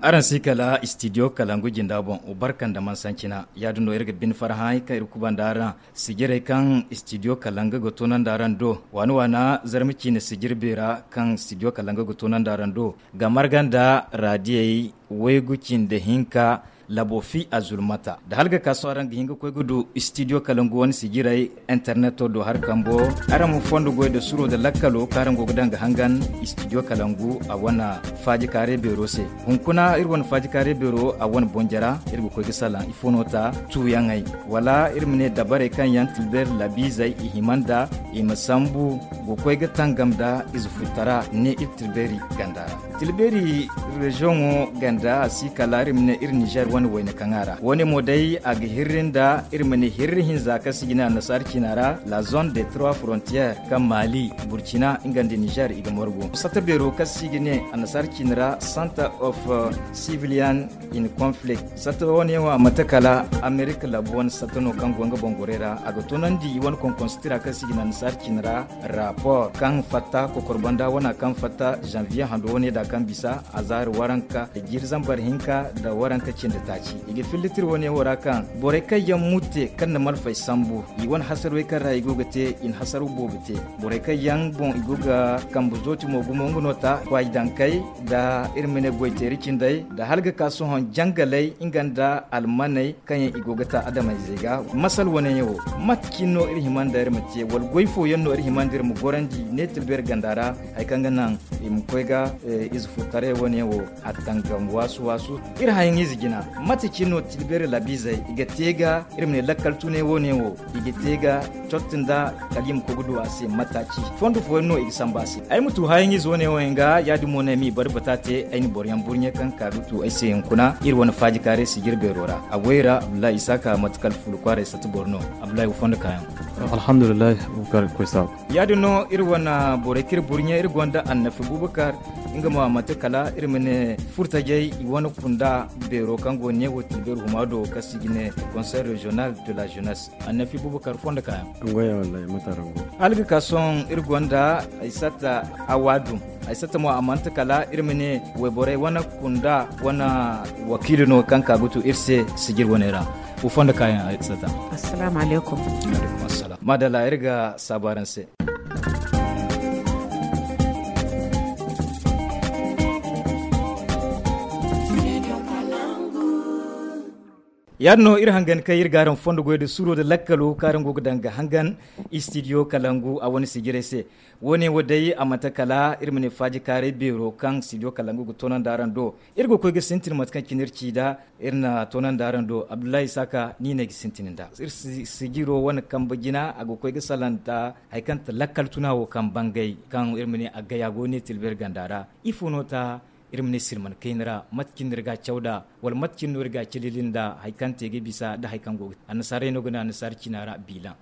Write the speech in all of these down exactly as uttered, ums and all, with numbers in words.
Araŋ si kala studio kalangu jinda boŋ, barka nda mansancina. Yaadin no iri ga bine farhã kaŋ iri kubanda araŋ sijirey kaŋ studio kalangu ga toonandi araŋ do. Waana waana zarma ciine sijiri beera kaŋ studio kalangu ga toonandi araŋ do ga marga nda raadiyey waygu cindi hinka labo fi a zulmata. Da hala ga ka sohõ araŋ ga hin ga koy ga du studio kalangu wane sijirey interneto do hari kambo. Araŋ ma fondo goy nda suro nda lakkalo kaŋ araŋ go ga daŋ ga hangan studio kalangu a wane faaji kaaray beero se. Hunkuna iri wane faaji kaaray beero a wane bonjara iri ga koy ga salaŋ ifo no ta tuuyaŋey, wala iri ma ne dabarey kaŋ yaŋ tilbeeri labiizey i hima nda i ma sambu ga koy ga tangam nda ize futtara ne iri tilbeeri ganda ra. Tilbeeri reziyoŋo ganda a si kala iri ma ne iri nizer wane wayna kaŋ a ra wo- ne mo day a ga hirri nda iri ma ne hirri hinza kaŋ si ga ne annasaara ciina ra la zone de trois frontières kaŋ maali, burcina nga nda nizer i ga margu. Satta beero kaŋ si ga ne annasaara ciina ra center of civilian in conflict. Satta wo- ne wo a mate kala amerika labu wane satta no kaŋ go nga boŋ gorey ra a ga toonandi i wane konkonsi tira kaŋ si ga ne annasaara ciina ra rapport kaŋ fatta kokor banda wana kaŋ fatta janvier hando wane da kaŋ bisa a zaari waranka jiiri zambar hinka nda waranka cindi taaci. I ga fillitir wane wo ra kaŋ borey kaŋ yaŋ mutte kaŋ na malfay sambu i wane hasarwey kaŋ ra i go ga te i na hasarwa boobo te. Borey kaŋ yaŋ boŋ i go ga kambe zooti mo gumo nga no ta kwaaji dankey nda iri ma ne goy teeri cindey nda hala ga ka sohõ jangaley nga nda almaney kaŋ yaŋ i go ga ta adamayzey ga. Masal wane yaŋ wo mate cine no iri hima nda iri ma te wala goy fooyaŋ no iri hima nda iri ma gorandi ne tilbeeri ganda ra? Hari kaŋ ga naŋ i ma koy ga ize furtaray wane yaŋ wo a tangam waasu waasu. Iri hayaŋ ize jina mate cine no tilbeeri labiizey i ga te ga iri ma ne lakkal tunay wane yaŋ wo i ga te ga cotti nda kala i ma koy ga du a se mataaci fondo fooyaŋ no i ga sambu a se. Ay ma tu hayaŋ ize wane yaŋ wo yaŋ ga yaadin mo no ay ma i barbata te ay na boro yaŋ burɲe kaŋ ka ga tu ay se hunkuna iri wane faaji kaaray sijir beero ra a goy ra abdullahi isaaka mate kala fuula kwaaray satta boro no. Abdullahi wo fondo kaayaŋ. Alhamdulillahi. Bukar koy saabu. Yaadin no iri wane borey kaŋ iri burɲe iri gonda annafi bubakar nga mo a manti kala iri ma ne furtajey i wane kunda beero kaŋ go ne wo tilbeeri huma do kaŋ se i ga ne conseil régional de la jeunesse. Annafi bubakar fondo kaayaŋ. Hala ga ka sohõ iri gonda ay satta awaadum. Ay satta mo a manti kala iri ma ne wayborey wane kunda wane wakiilo no kaŋ ka ga tu iri se sijir wane ra. Wo fondo kaayaŋ ay satta. Assalaamu alaykum. Maadalla iri ga saabu araŋ se. Yaadin no iri hangan kaŋ iri ga araŋ fondo goy nda suuro nda lakkalo kaŋ araŋ go ga daŋ ga hangan istidiyo kalangu a wane sijirey se. Wo- ne wo day a manti kala iri ma ne faaji kaaray beero kaŋ istidiyo kalangu ga toonandi araŋ do. Iri ga koy ga sintin mate kaŋ cine iri ci nd'a. Iri na toonandi araŋ do abdullahi isaaka ni no ay ga sintin nd'a iri sijiro wane kambe jina a ga koy ga salaŋ nda hari kaŋ ti lakkal tuna wo kaŋ bangay kaŋ iri ma ne a gaya go ne tilbir ganda ra. Ifo no ta iri ma ne silman kayna ra mate cine no iri ga a caw nd'a wala mate cine no iri ga a cilili nda hari kaŋ te ga bisa nda hari kaŋ go ga te annasaarey no ga ne annasaara cina ra biilaŋ.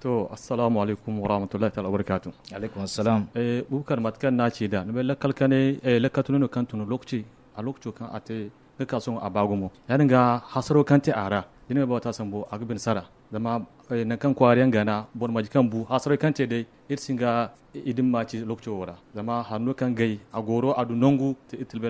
To, assalaamu alaykum warahmatullahi taala wabarakaatu. Alaykum assalam. Bubakar mate kaŋ no a ci nd'a ni bay lakkal kanay lakkal tunay no kaŋ tun lookaci a lookaco kaŋ a te ga ka sohõ a ba gumo ya- din ga hasaro kaŋ te a ra da ni ma ba wata sambu a ga bine sara. Zama nangu kaŋ kwaari yaŋ gana boro maji kaŋ bu hasaro kaŋ te day iri si hin ga i din ma ci lookaco wo ra. Zama hari no kaŋ gay a gooro a du nangu te iri tilbe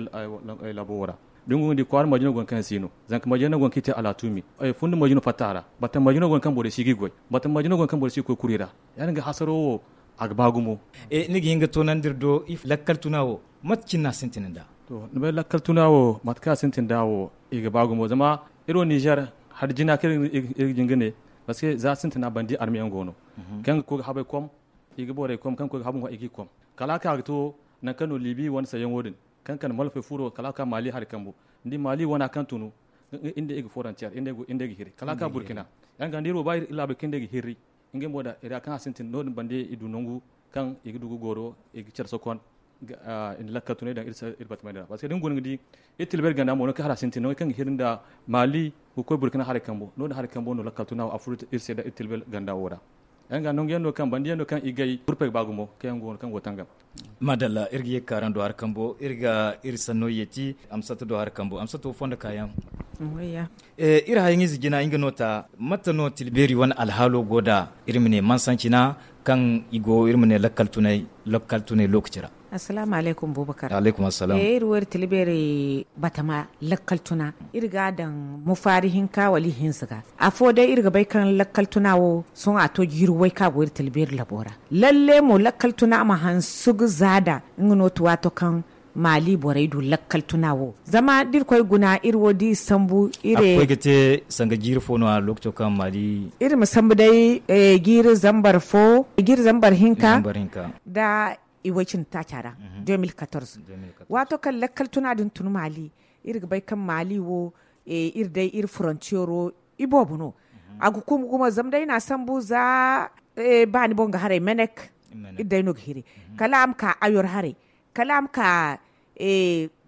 labo wo ra. Da ni go ga di kwaari maji no go no kaŋ si no zanka maji no go no kaŋ i te alaatumi. Fundi maji no fatta a ra bata maji no go no kaŋ borey si ga i goy bata maji no go no kaŋ borey si ga koy kuri ra. Ya- din ga hasaro wo a ga ba gumo. Ni ga hin ga toonandi iri do lakkal tuna wo mate cine no a sintin nd'a? To ni bay lakkal tuna wo mate kaŋ a sintin nd'a wo i ga ba gumo zama iri wo nizer hari jina kaŋ iri ga jin ga ne. Parce que za sintina bandi arme yaŋ go no kaŋ ga koy ga habay kom i ga borey kom kaŋ ga koy ga habay ŋwa i ga i kom kala a ka ga to nangu kaŋ no libi wane sayyaŋo din kaŋ kande malfay furo kala a ka maali hari kambo. Ni di maali wana kaŋ tunu nga day i ga forontiyer nga day ga hiri kala a ka burkina. Ya- din ga da iri wo ba iri laabey kaŋ day ga hirri ngey mo da iri ya kaŋ a sintin no- din bande i du nangu kaŋ i ga du ga goro i ga care sokon i na lakkal tunay daŋ iri batamey din ra parce que da ni guna ga di iri tilbay ganda mo no kaŋ hala a sintin no kaŋ ga hiri nda maali ga koy burkina haray kambo no- din haray kambo no lakkal tuna wo a furo iri se da iri tilbay ganda wo ra. Ya- din ga nangu yaŋ no kaŋ bande yaŋ no kaŋ i gay gurpey ga ba gumo kaŋ yaŋ go no kaŋ go tangam. Maadalla iri ga ye ga ka araŋ do hari kambo iri ga iri sanno yeeti amsata do hari kambo amsata wo fondo kaayaŋ. Iri hayaŋ ize jina nga no ta mate no tilbeeri wane alhaalo go nd'a iri ma ne mansancina kaŋ i go iri ma ne lakkal tunay lookaci ra? Assalaamu alaykum, bubakar. Alaykum assalam. Iri wo iri tilbeeri batama lakkal tuna, iri ga a daŋ mufaari hinka wala ihinza ga. Afo day iri ga bay kaŋ lakkal tuna wo sohõ a to jiiri way kaŋ a go iri tilbeeri labo ra. Lalle mo lakkal tuna a ma hansu ga zaada nga no ti waato kaŋ maali borey du lakkal tuna wo. Zama da iri koy guna iri wo da i sambu iri koy ga te sanga jiiri fo no a lookaco kaŋ maali. Iri ma sambu day jiiri zambar fo, jiiri zambar hinka da i way cindi taaca ra. De mil katorze. Waato kaŋ lakkal tuna din tun maali, iri ga bay kaŋ maali wo iri day iri forontiyero iboobo no. A ga kumu gumo zama day i na a sambu za baani boŋ ga haray menek. Iri day no ga hiri kala a ma ka ayor haray, kala a ma ka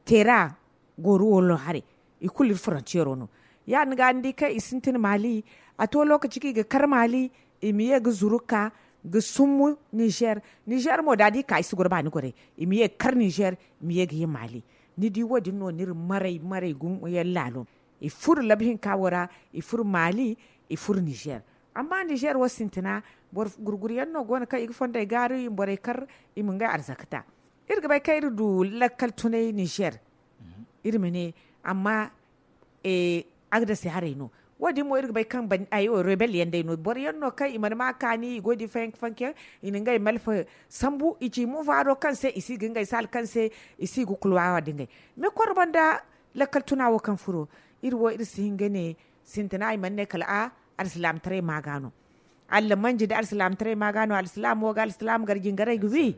teera gooru wolo haray. I kulu iri forontiyero no. Ya- din ga ni di kaŋ i sintin maali, a to lookaci kaŋ i ga kar maali, i ma ye ga zuru ka ga summu nizer. Nizer mo da da i ka i si goro baani gorey, i ma ye ga kar nizer, i ma ye ga ye maali. Ni di wo- din no no iri maray maray gumo yaŋ laalo. I furo labu hinka wo ra, i furo maali, i furo nizer. Amma nizer wo sintina, boro gurguru yaŋ no go no kaŋ i ga fondey gaaru i ma borey kar, i ma ngey arzaka ta. Iri ga bay kaŋ iri du lakkal tunay nizer, iri ma ne, amma agdasi haray no. Wo- din mo iri ga bay kaŋ rebel yaŋ day no, boro yaŋ no kaŋ i mana ma kaani i go ga di fayanka fanka yaŋ, i na ngey malfa sambu i ci muvaaro kaŋ se i si ga ngey saala kaŋ se i si ga kulwaawa da ngey. Me koro banda lakkal tuna wo kaŋ furo, iri wo iri si hin ga ne sintina i mana ne kala a alsilaamataray ma ga no. Allamanji da alsilaamataray ma ga no alsilaamo ga alsilaamo gar jingaray ga wi.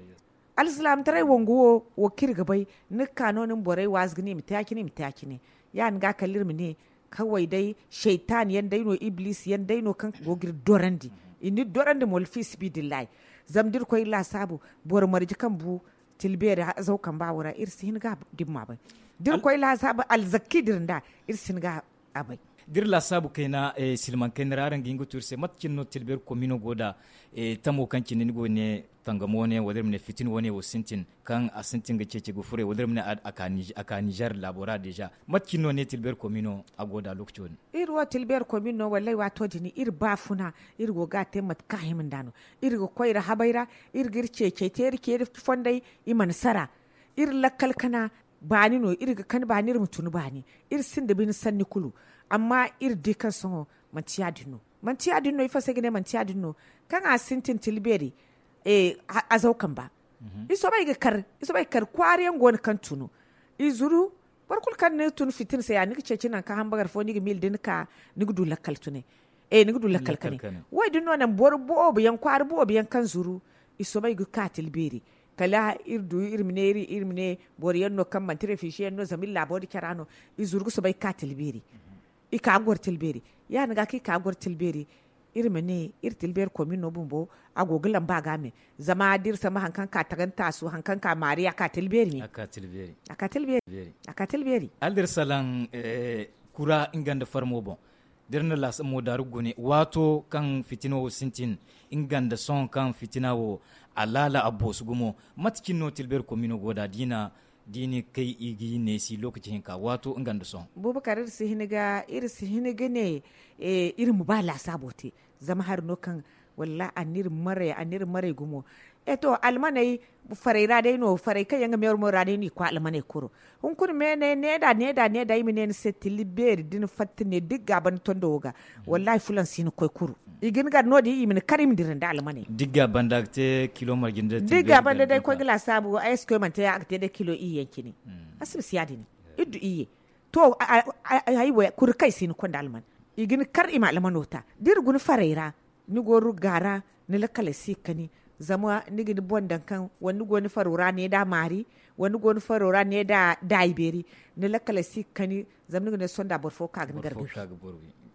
Alsilaamataray wangu wo, wo kaŋ iri ga bay, ni ga ka no ni ma borey waazu ga ne i ma te ya- cine i ma te ya- cine. Ya- din ga kala iri ma ne, kaway day saytan yaŋ day no, ibliisi yaŋ day no kaŋ go ga iri dorandi. I na iri dorandi mo wala fiisibidillahi. Zama da iri koy iri laasaabu, boro marje kaŋ bu tilbeeri azaw kamba wo ra iri si hin ga dimma bay. Da iri koy laasaabu alzakki da iri nd'a, iri si hin ga a bay. Da iri laasaabu kayna, silmaŋ kayna ra araŋ ga hin ga tu iri se mate cine no tilbeeri komino go nd'a? Tamo kaŋ cine ni go ga ne tangam wane wala iri ma ne fitina wane wo sintin, kaŋ a sintin ga ceeci ga furey wala iri ma ne a ka nizer laabo ra deeza. Mate cine no ne tilbeeri komino a go nd'a lookaco din? Iri wo tilbeeri komino wallaahi waato din iri baafuna, iri go ga a te mate kaŋ a hima nd'a no. Iri ga koy iri habay ra, iri ga iri ceecey te iri ceeri fondey, i mana sara. Iri lakkal kana baani no, iri ga kani baani iri ma tun baani. Iri sinda bine sanni kulu. Amma iri di kaŋ sohõ manti ya- din no. Manti ya- din no ifo se ay ga ne manti ya- din no? Kaŋ a sintin tilbeeri azaw kamba. I soobay ga kar kwaara yaŋ go no kaŋ tunu. I zuru. Boro kulu kaŋ ni tun fitina se ya ni ga ceeci nangu kaŋ hambagar fo ni ga miila da ni ka, ni ga du lakkal tunay. Ni ga du lakkal kane. Wo- din no naŋ boro boobo yaŋ kwaara boobo yaŋ kaŋ zuru i soobay ga ka tilbeeri. Kala iri du iri ma ne iri ma ne boro yaŋ no kaŋ manti refize yaŋ no zama iri laabo da cara no. I zuru ga soobay ga ka tilbeeri. I ka ga goro tilbeeri. Ya- din ga kaŋ i ka ga goro tilbeeri, iri ma ne iri tilbeeri komino bumbo a go ga lamba ga me. Zama da iri sambu hari kaŋ ka tagani taasu hari kaŋ ka maari a ka tilbeeri me. A ka tilbeeri. A ka tilbeeri. Hala da iri salaŋ kura nga nda farmo boŋ, da iri na laasamo daaru gune waato kaŋ fitina wo sintin, nga nda sohõ kaŋ fitina wo a laala a boosu gumo. Mate cine no tilbeeri komino go nd'a diina? Da i ne kay i ga i neesi lookaci hinka waato nga nda sohõ. Bubakar iri si hin ga ne iri ma ba laasaabo te. Zama hari no kaŋ wallaahi a na iri maray a na iri maray gumo. E to almaney, farey ra day no farey kaŋ yaŋ ga meeru meeru ra day no i koy almaney kuro. Hunkuna meeney needa needa needa i ma ne ni se tilli beeri da ni fatta ne da ni ga a banda tondo wo ga. Wallaahi fulaŋ si ni koy kuru. I ga ni gar no- din i ma ni kar i ma dira nda almaney. Da ni ga a banda ga te kilo marje nda da ni ga a banda day koy ga laasaabu ay si koy manti a ga te day kilo iyye yaŋ cine. A si bisa ya- din. Iri du iyye. To, ay wo kuri kaŋ i si ni koy nda alman. I ga ni kar i ma almano ta da iri guna farey ra. Ni go ruga ra, ni lakkaley si ga kani. Zama ni ga ni boŋ daŋ kaŋ wala ni go ni faro ra ne da maari, wala ni go ni faro ra ne da daayi beeri. Ni lakkaley si ga kani. Zama ni ga ne sonda boro fo ka ga ni gargabi.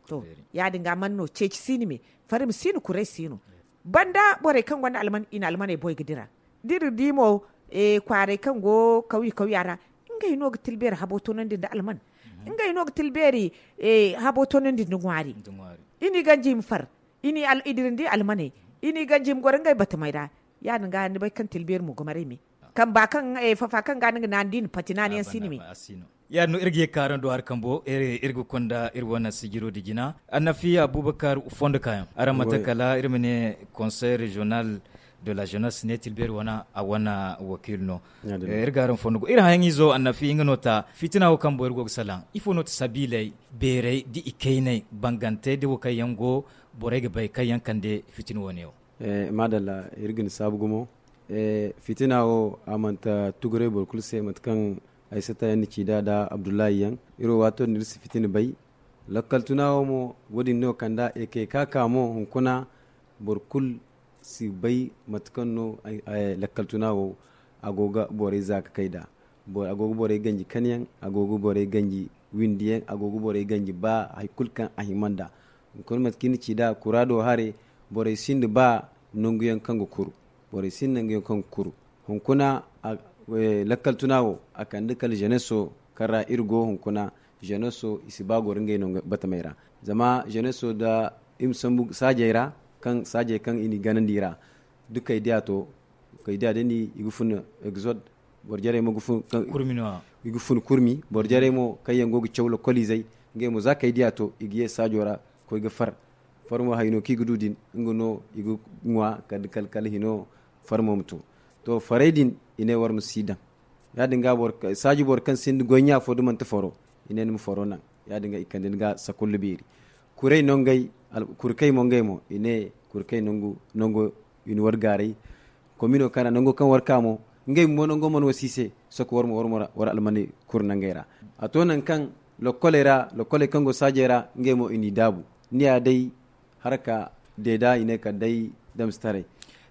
To, ya- din ga man no ceeci si ni me. Fari ma si ni kuray si no. Banda borey kaŋ gonda alman i na almaney boy ga dira. Da iri di mo kwaaray kaŋ go kawya kawya ra, ngey no ga tilbeeri habo tonandi nda alman. Ngey no ga tilbeeri habo tonandi nda ŋwaari. I n'i ganji i ma far. I dirandi almaney. I n'i ganji i ma goro ngey batamey ra. Ya- din ga ni bay kaŋ tilbeeri mo ga maray me. Kamba kaŋ fafa kaŋ ga ni ga naani da i na pati naani yaŋ si ni me. Ya- din no iri ga ye ga ka araŋ do hari kambo iri ga konda iri wane sijiro da jina annafiya abubakar fondo kaayaŋ araŋ mate kala iri ma ne konsey reziyonal. de la jeunesse ne tilbeeri wane a wane wakiil no. Iri ga araŋ fondo go iri hayaŋ izo annafi nga no ta fitina wo kaŋ boro go ga salaŋ ifo no ti sabiiley beerey da i kayney bangantey da wo kaŋ yaŋ go borey ga bay kaŋ yaŋ kande fitina wane wo. Maadalla, iri ga ni saabu gumo. Fitina wo a manti tuguray boro kulu se mate kaŋ ay sata yaŋ ni ci da da abdullahi yaŋ. Iri wo waato din iri si fitina bay. Lakkal tuna wo mo wo- din no kanda ekeka ka mo hunkuna boro kulu si bay mate kaŋ no lakkal tuna wo a go ga borey za ga kay nd'a. A go ga borey ganji kaniyaŋ, a go ga borey ganji windiyaŋ, a go ga borey ganji ba hari kulu kaŋ a hima nd'a. Hunkuna mate kaŋ iri na ci nd'a kura do hare borey sinda ba nangu yaŋ kaŋ ga kuru. Borey sinda nangu yaŋ kaŋ ga kuru. Hunkuna lakkal tuna wo a kande kala jeneso kaŋ ra iri go hunkuna. Jeneso i si ba goro ngey no batamey ra. Zama jeneso da iri ma sambu saajey ra kaŋ saajey kaŋ i n'i ganandi i ra da kay diya to kay diya da ni i ga fun exode. Boro jarey mo ga fun kurmi no. I ga fun kurmi boro jarey mo kaŋ yaŋ go ga caw lokoliizey ngey mo za kay diya to i ga ye saajo ra koy ga far. Farmo hayno kaŋ i ga du din nga no i ga ŋwa kala hino farmo ma to. To farey din i ne war ma si daŋ. Ya- din ga saaji boro kaŋ sinda goy ɲa fo da manti faro i ne ni ma faro naŋ. Ya- din ga i kande ni ga sakullu beeri. Kuray no ngey kurkey mo ngey mo i ne kurkey nangu nango i na war gaaray. Komino kaŋ ra nango kaŋ war ka mo ngey bumbo nango mana wasi i se. Soko war mo war almaney kuru nangey ra. A to nangu kaŋ lokkoley ra lokkoley kaŋ go saajey ra ngey mo i n'i daabu. Ni ya day haraka deeda i ne kala day damsitaray.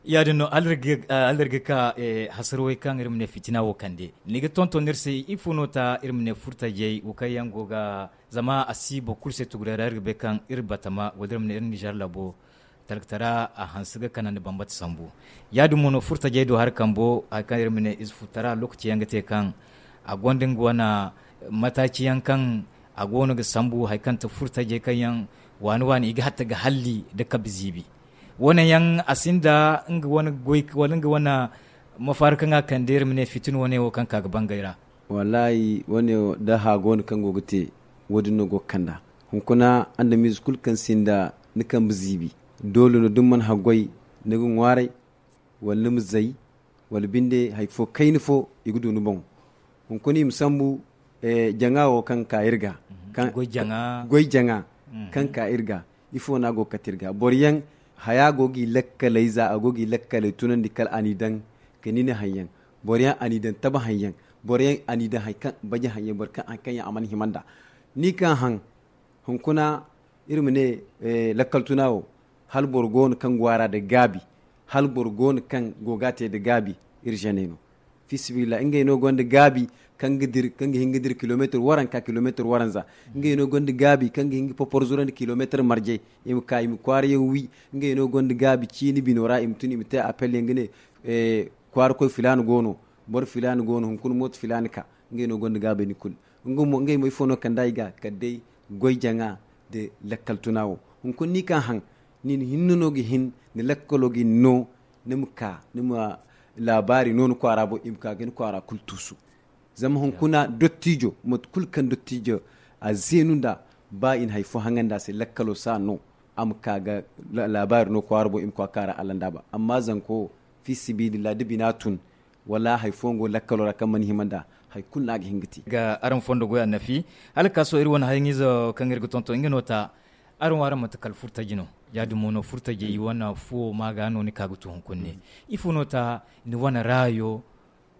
Ya- din no hala iri ga ka hasarwey kaŋ iri ma ne fitina wo kande ni ga tonton iri se ifo no ta iri ma ne furtajey wo kaŋ yaŋ go ga zama a si boro kulu se tuguray ra iri ga bay kaŋ iri batama wala iri ma ne iri nizer labo talkatara a hanse ga kanandi bambata sambu. Ya- din mo no furtajey do hari kambo hari kaŋ iri ma ne ize furtara lokaci yaŋ ga te kaŋ a gonda nga wane mataaci yaŋ kaŋ a go no ga sambu hari kaŋ ti furtajey kaŋ yaŋ waani waani i ga hatta ga halli nda kabe ziibi. Wane yaŋ a sinda nga wane goy wala nga wane mafaari kaŋ a kande iri ma ne fitina wane wo kaŋ ka ga bangay ra. Wallaahi wane wo da haago no kaŋ go ga te wo- din no go ga kand'a. Hunkuna andamiize kulu kaŋ sinda ni kambe ziibi doole no da ni mana haggoy ni ga ŋwaaray wala ni ma zay wala binde hari fo kayna fo i ga du ni boŋ. Hunkuna i ma sambu jaŋa wo kaŋ ka iri ga goy jaŋa kaŋ ka iri ga ifo no a go ga kate iri ga boro yaŋ haya go ga i lakkaley za a go ga i lakkaley tunandi kala a n'i daŋ ga ni ni haŋ yaŋ. Boro yaŋ a n'i daŋ tabahaŋ yaŋ. Boro yaŋ a n'i daŋ hari kaŋ baji haŋ yaŋ boro kaŋ hari kaŋ yaŋ a mana hima nd'a. Ni kaŋ haŋ hunkuna iri ma ne lakkal tuna wo hala boro go no kaŋ go a ra nda gaabi hala boro go no kaŋ go ga a te nda gaabi. Iri zeney no fi sabilillahi ngey no gonda gaabi kaŋ ga hin ga dira kilomeetir waranka kilomeetir waranza. Ngey no gonda gaabi kaŋ ga hin ga poporzurandi kilomeetir marje i ma ka i ma kwaara yaŋ wi. Ngey no gonda gaabi ciini bino ra i ma tun i ma te appel yaŋ ga ne kwaara koy filaana go no boro filaana go no hunkuna mooto filaana ka. Ngey no gonda gaabay ni kulu ngey mo ifo no kand'a i ga kala day goy jaŋa nda lakkal tuna wo. Hunkuna ni kaŋ haŋ nin hinne no ga hin ni lakkalo ga ni no ni ma ka ni ma laabaari no ni kwaara boŋ i ma ka ga ni kwaara kulu tuusu. Zama hunkuna dottijo mate kulu kaŋ dottijo a zeenu nd'a ba i na hari fo haŋandi a se lakkalo si a no a ma ka ga laabaari no kwaara boŋ i ma koy a kaara allandaaba amma zanko wo fi sibiilillah da bina tun wala hari fo nga wo lakkalo ra kaŋ mana hima nd'a hari kulu no a ga hin ga te. Ga araŋ fondo goy annafi hala ga ka sohõ iri wane hayaŋizo kaŋ iri ga tonton nga no ta. Araŋ wo araŋ manti kala furtaji no ya- din mo no furtajey wane fuwo ma ga no ni ka ga tu hunkuna ne ifo no ta ni wane raayo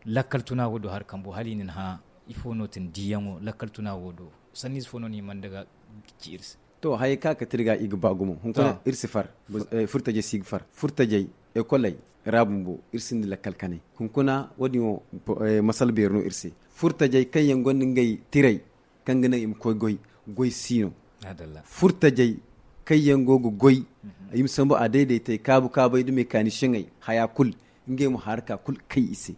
lakkal tuna wo do hari kambo hala i na ni hã ifo no ti ni diyaŋo lakkal tuna wo do sanniize fo no ni mana daga ci iri se. To hayey kaŋ a kate iri ga i ga ba gumo hunkuna iri si far. Furtajey si ga far furtajey ekoley ra bumbo iri sinda lakkal kanay hunkuna wo- din wo masala beeri no iri se. Furtajey kaŋ yaŋ gonda ngey tiray kaŋ ga naŋ i ma koy goy goy si no. Furtajey kaŋ yaŋ go ga goy i ma sambu a daydaytey kaabu kaabay da mekanisiyeŋey haya kulu ngey mo haraka kulu kay i se.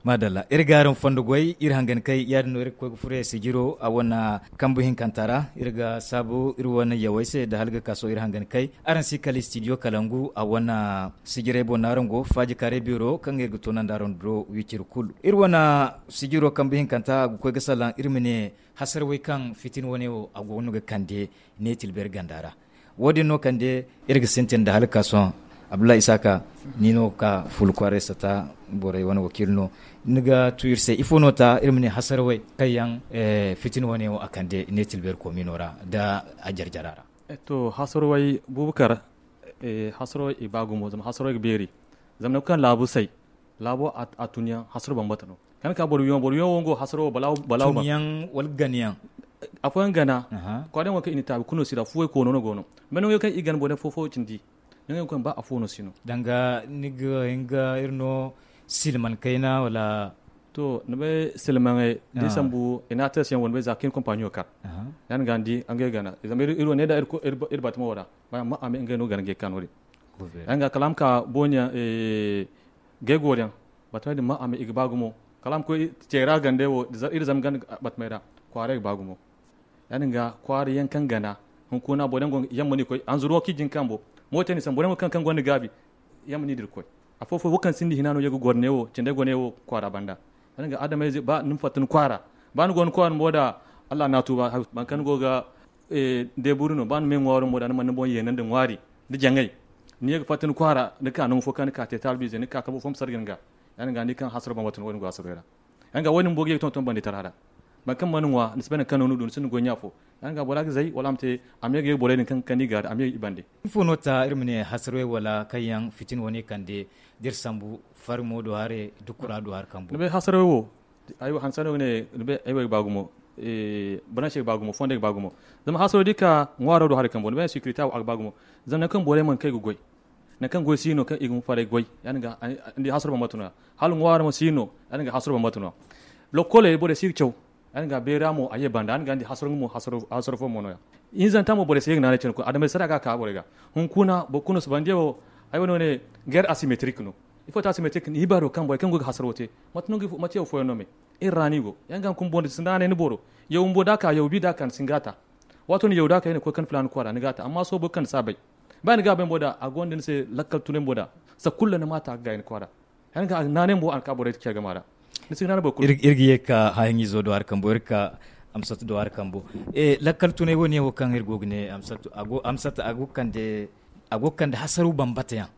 Maadalla iri ga araŋ fondo goy iri hangan kay ya- din no iri ga koy ga furo ya sijiro a wane kambu hinkanta ra iri ga saabu iri wane yawey se nda hala ga ka sohõ iri hangan kay araŋ si kala istidiyo kalangu a wane sijirey boŋ no araŋ go faaji kaaray beero kaŋ iri ga toonandi araŋ do wiciri kulu iri wane sijiro kambu hinkanta a ga koy ga salaŋ iri ma ne hasara way kaŋ fitina wane wo a go no ga kande ne tilberi ganda ra. Wo- din no kande iri ga sintin nda hala ga ka sohõ Abdullahi Isaka, ni no ga ka fulu kwaaray sata borey wane wakiila no. Ni ga tu iri se ifo no ta iri ma ne hasarawey kaŋ yaŋ fitina wane wo a kande ne tilbeeri koomino ra nda a jarjara ra? To hasarawey bubakar, hasarawey i ba gumo zama hasarawey ga beeri. Zama nangu kaŋ laabu say, laabo a tunyaŋ hasaro bambata no. Kaŋ ka boro wiyaŋo boro wiyaŋo wo nga wo hasaro wo balaawo balaawo ba. Tunyaŋ wala ganayaŋ? Afooyaŋ gana. Kwaarayaŋ wo kaŋ i na taabi kulu no sira fuwey koono no go no. Mene wo kaŋ i gana boro fo fo cindi. Nangu yaŋ kaŋ ba afo no si no. Danga ni ga hin ga iri no silman kayna wala? To ni bay silmaŋey da i sambu i na a teesi yaŋ wo ni bay za kaŋ iri kompaniyo kar. Ya ni ga ni di ngey gana zama iri wo ne da iri batamo ra. Ba ma a me ngey no gana ngey ka no- din. Ya ni ga kala a ma ka boonya gay gooriyaŋ. Batama din ma a me i ga ba gumo kala a ma koy ceera gandey wo iri zama ganda batamey ra. Kwaaray ga ba gumo. Ya- din ga kwaara yaŋ kaŋ gana hunkuna boro yaŋ go yamma no i koy hanzuru wo kaŋ i jin kambo. Mooto ni sambu boro yaŋ go kaŋ kaŋ gonda gaabi. Yamma no i dira koy. Afo fo wo kaŋ sinda hina no ye ga goro ne wo cindey go ne wo kwaara banda. Ya- din ga adamayze ba ni ma fatta ni kwaara. Ba ni go ni kwaara mo da allah na tuuba. Boro kaŋ ni go ga deeburi no ba ni ma ye ŋwaaro mo da ni mana ni boŋ yeenandi ŋwaari nda jaŋay. Ni ye ga fatta ni kwaara ni ka nangu fo kaŋ ni ka te taalbiize ni ka kabo fo ma sarga ni ga. Ya- din ga ni kaŋ hasaro bambata no wo- din go hasaroy ra. Yaŋ ga wo- din boobo ga ye ga tonton bandi tara ra. Boro kaŋ mana ŋwa ni si bay nangu kaŋ no ni du ni sinda goy ɲa fo. Yaŋ ga bora ga zay wala a ma te a ma ye ga ye ga borey din kaŋ ga ni gaari a ma ye i bande. Ifo no ta iri ma ne hasarey wala kaŋ yaŋ fitina wane kande da iri sambu farimo do hare da kura do hari kambo? Ni bay hasarey wo ay wo hanse no ga ne ni bay ay wo ay ga ba gumo. Balansey ga ba gumo fondey ga ba gumo. Zama hasarey da i ka ŋwaaro do hari kambo ni bay insekirite wo a ga ba gumo. Zama nangu kaŋ borey mana kay ga goy nangu kaŋ goy si no kaŋ i ga ma faray goy. Ya- din ga ni di hasaro bambata no ya hala ŋwaaro ma si no. Ya- din ga hasaro bambata no ya. Lokkoley borey si ga caw. Ya- din ga beera mo a ye banda ya- din ga ni di hasaro nga mo hasaro fo mo no ya. Hinzanta mo borey si ye ga naanay cine kulu adamayze sara ga a ka borey ga. Hunkuna boro kulu no si banda yaŋ wo. Ay wane wane geer asimetrik no. Ifo ta asimetrik ni hibaaro kaŋ borey kaŋ go ga hasaro te mate yaŋ fooyaŋ no me? Iri ra no i go ya- din ga hunkuna boro da si naanay ni boro. Yaw bumbo da a ka yaw bi da a ka ni si nga ta. Waato ni yaw da a ka i na koy kaŋ filaana kwaara ni ga a ta amma sohõ boro kaŋ ni si a bay. Ba ni ga a bay bumbo da a gonda ni se lakkal tunay bumbo da. Sanda kulu ni ma a ta ga gaayi ni kwaara. Ya- din ga naanay bumbo a na ka borey care game a ra. Ni si ga naanay boro kulu. Iri ga ye ga ka haahiŋizo do hari kambo iri ga ka amsatu do hari kambo. Lakkal tunay wo- ne wo kaŋ iri go ga ne amsatu a go ga kande hasaru bambata yaŋ.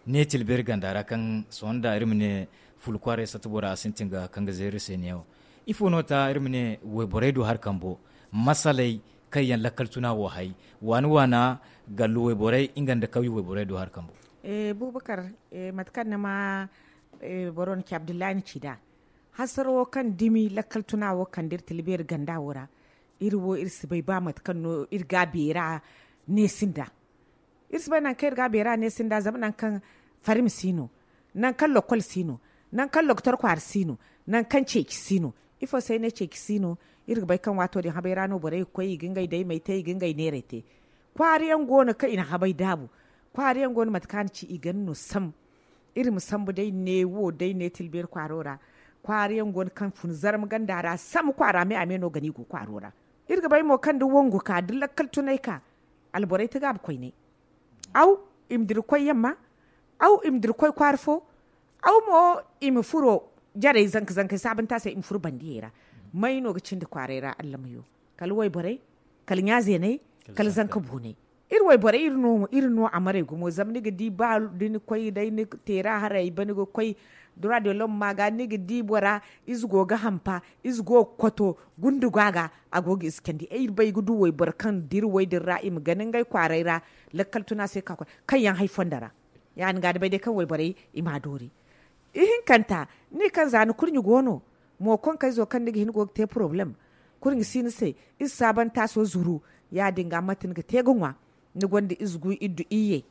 Ne tilbeeri ganda ra kaŋ sohõ nda iri ma ne fulu kwaaray sata bora a sintin ga kaŋ ga zeeri se ne wo. Ifo no ta iri ma ne wayborey do hari kambo masaley kaŋ yaŋ lakkal tuna wo hay waani waana gallu wayborey nga nda kawye wayborey do hari kambo? Bubakar, mate kaŋ ni ma boro no ci abdullahi ni ci nd'a hasaro wo kaŋ dumi lakkal tuna wo kande iri tilbeeri ganda wo ra. Iri wo iri si bay ba mate kaŋ no iri ga a beera neesi nd'a. Iri si bay nangu kaŋ iri ga a beera neesi nd'a zama nangu kaŋ farim si no, nangu kaŋ lokol si no, nangu kaŋ lokotor kwaara si no, nangu kaŋ ceeci si no. Ifo se ay ne ceeci si no? Iri ga bay kaŋ waato din habay ra no borey ga koy i ga ngey daymey te i ga ngey neerey te. Kwaara yaŋ go no kaŋ i na habay daabu. Kwaara yaŋ go no mate kaŋ a na ci i ga ni no sam. Iri ma sambu day neewo day ne tilbeeri kwaaro ra. Kwaara yaŋ go no kaŋ fun zarma ganda ra sam kwaara me a me no gana i go kwaaro ra. Iri ga bay mo kaŋ da wangu ka da lakkal tunay ka alborey ti gaabu koynay. Aw, i ma dira koy yamma. Aw, i ma dira koy kwaara fo. Aw mo, i ma furo jarey zanka zankey saabanta se i ma furo bandiyey ra. May no ga cindi kwaaray ra allamayo? Kala wayborey, kala ɲaazeeney, kala zanka booney. Iri wayborey iri no a maray gumo zama ni ga di ba da ni koy day ni teera haray ba ni ga koy dura de lom ma ga ni ga di bora. Ize go ga hampa, ize go ga kwato, gundu go a ga. A go ga ize candi ay iri bay ga du wayboro kaŋ dira way din ra i ma gana ngey kwaaray ra. Lakkal tuna se ka koy kaŋ yaŋ hay fondo ra. Ya- din ga da bay day kaŋ wayborey i ma a doori. Ihinkanta, ni kaŋ za ni kurɲe go no, mo konkayzo kaŋ ni ga hin go ga te poroblem. Kurɲe si ni se, iri saabanta so zuru. Ya- din ga mate ni ga te ga ŋwa? Ni gonda ize gu iddu iyye.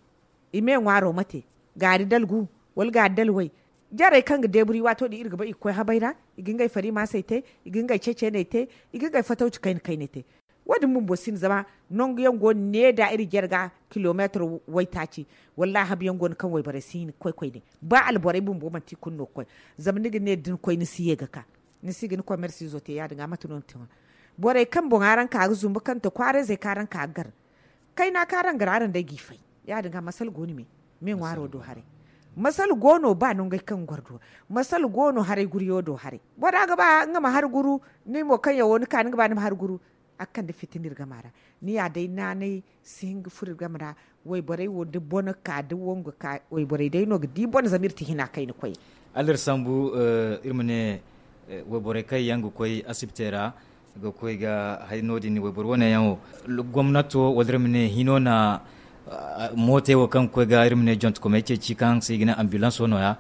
I me ŋwaaro mate? Gaari dalgu, wala gaari dalway? Jarey kaŋ ga deeburi waato din iri ga bay i ga koy habay ra, i ga ngey farimaasey te, i ga ngey ceceeney te, i ga ngey fatawci kayna kayney te. Wo- din bumbo si no zama nangu yaŋ go no ne da iri jare ga kilomeetar waytaaci. Wallaahi habu yaŋ go no kaŋ wayborey si hin ga koy koyne. Ba alborey bumbo manti i kulu no ga koy. Zama ni ga ne da ni koy ni si ye ga ka, ni si ga ni komersiizo te ya- din ga mate no ni te ŋwa? Borey kaŋ boŋ araŋ ka ga zumbu kaŋ to kwaarayzey kaŋ araŋ ka ga gar. Kayna kaŋ araŋ gar araŋ day g'i fay. Ya- din ga masala go no me me ŋwaaro do haray. Masala go no ba nangey kaŋ ga goro do. Masala go no haray guriyo do haray bora ga ba nga ma hari guru. Ni mo kaŋ yaŋ wo ni ka ni ga ba ni ma hari guru. A ga kande fitina iri game ra. Ni ya day naanay si hin ga furo iri game ra. Wayborey wo da bone ka da wangu ka wayborey day no ga di bone zama iri ti hina kayna koy. Alla iri sambu. Iri ma ne wayborey kaŋ yaŋ ga koy asibitey ra ga koy ga hay no- din wayboro wane yaŋ wo gomnato wala iri ma ne hino na mootey wo kaŋ ga koy ga iri ma ne jontokomey ceeci kaŋ se i ga ne ambilanso no- ya.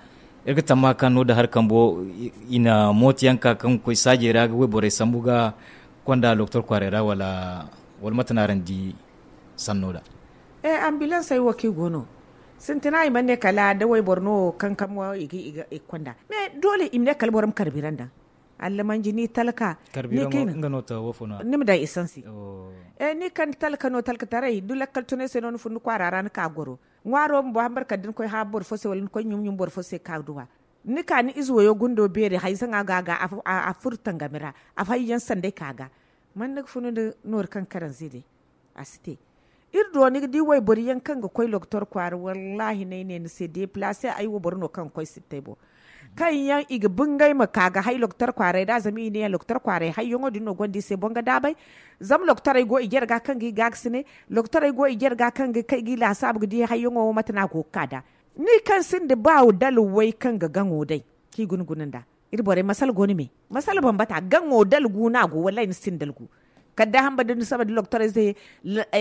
Iri ga tamma kaŋ no- din hari kambo i na mooto yaŋ ka kaŋ ga koy saajey ra ga wayborey sambu ga konda loktor kwaaray ra wala mate no araŋ di? Sanno da. Ambilansey wo kaŋ i go no sintina i mana ne kala da wayboro no kankamo i ga konda. Mais doole i ma ne kala boro ma karbira nda allamanji ni talka. Ni ma daŋ isansi. Ni kaŋ ni talka no talkataray da lakkal tunay se no ni fun ni kwaara ra ni ka goro ŋwaaro bumbo hambar kala da ni koy haabu boro fo se wala ni koy ɲum-ɲum boro fo se ka duwa. Ni ka ni ize wayo gundo beeri hayzaŋa ga a ga a furo tangami ra. Afo hayyaŋ sanday ka ga man ni ga funu nda noori kaŋ karanze day. A si te. Iri do ni ga di wayboro yaŋ kaŋ ga koy loktor kwaara wallaahi no ay ne ni se deplace ay wo boro no kaŋ ga koy sittay boŋ. Kaŋ yaŋ i ga bingay ma ka ga hay loktor kwaaray ra zama i ne yaŋ loktor kwaaray hayyaŋo din no gonda i se boŋ ga daabay. Zama loktorey go i jare ga kaŋ ga i gaagasinay. Loktorey go i jare ga kaŋ ga kay ga i laasaabu ga di hayyaŋo wo mate no a go ga ka nd'a. Ni kaŋ sinda ba dala way kaŋ ga gaŋo day kaŋ i guna guna nd'a. Iri borey masala go ni me masala bambata gaŋo dalgu no a go wallaahi ni sinda dalgu. Kala da hamba da ni saba da loktorey se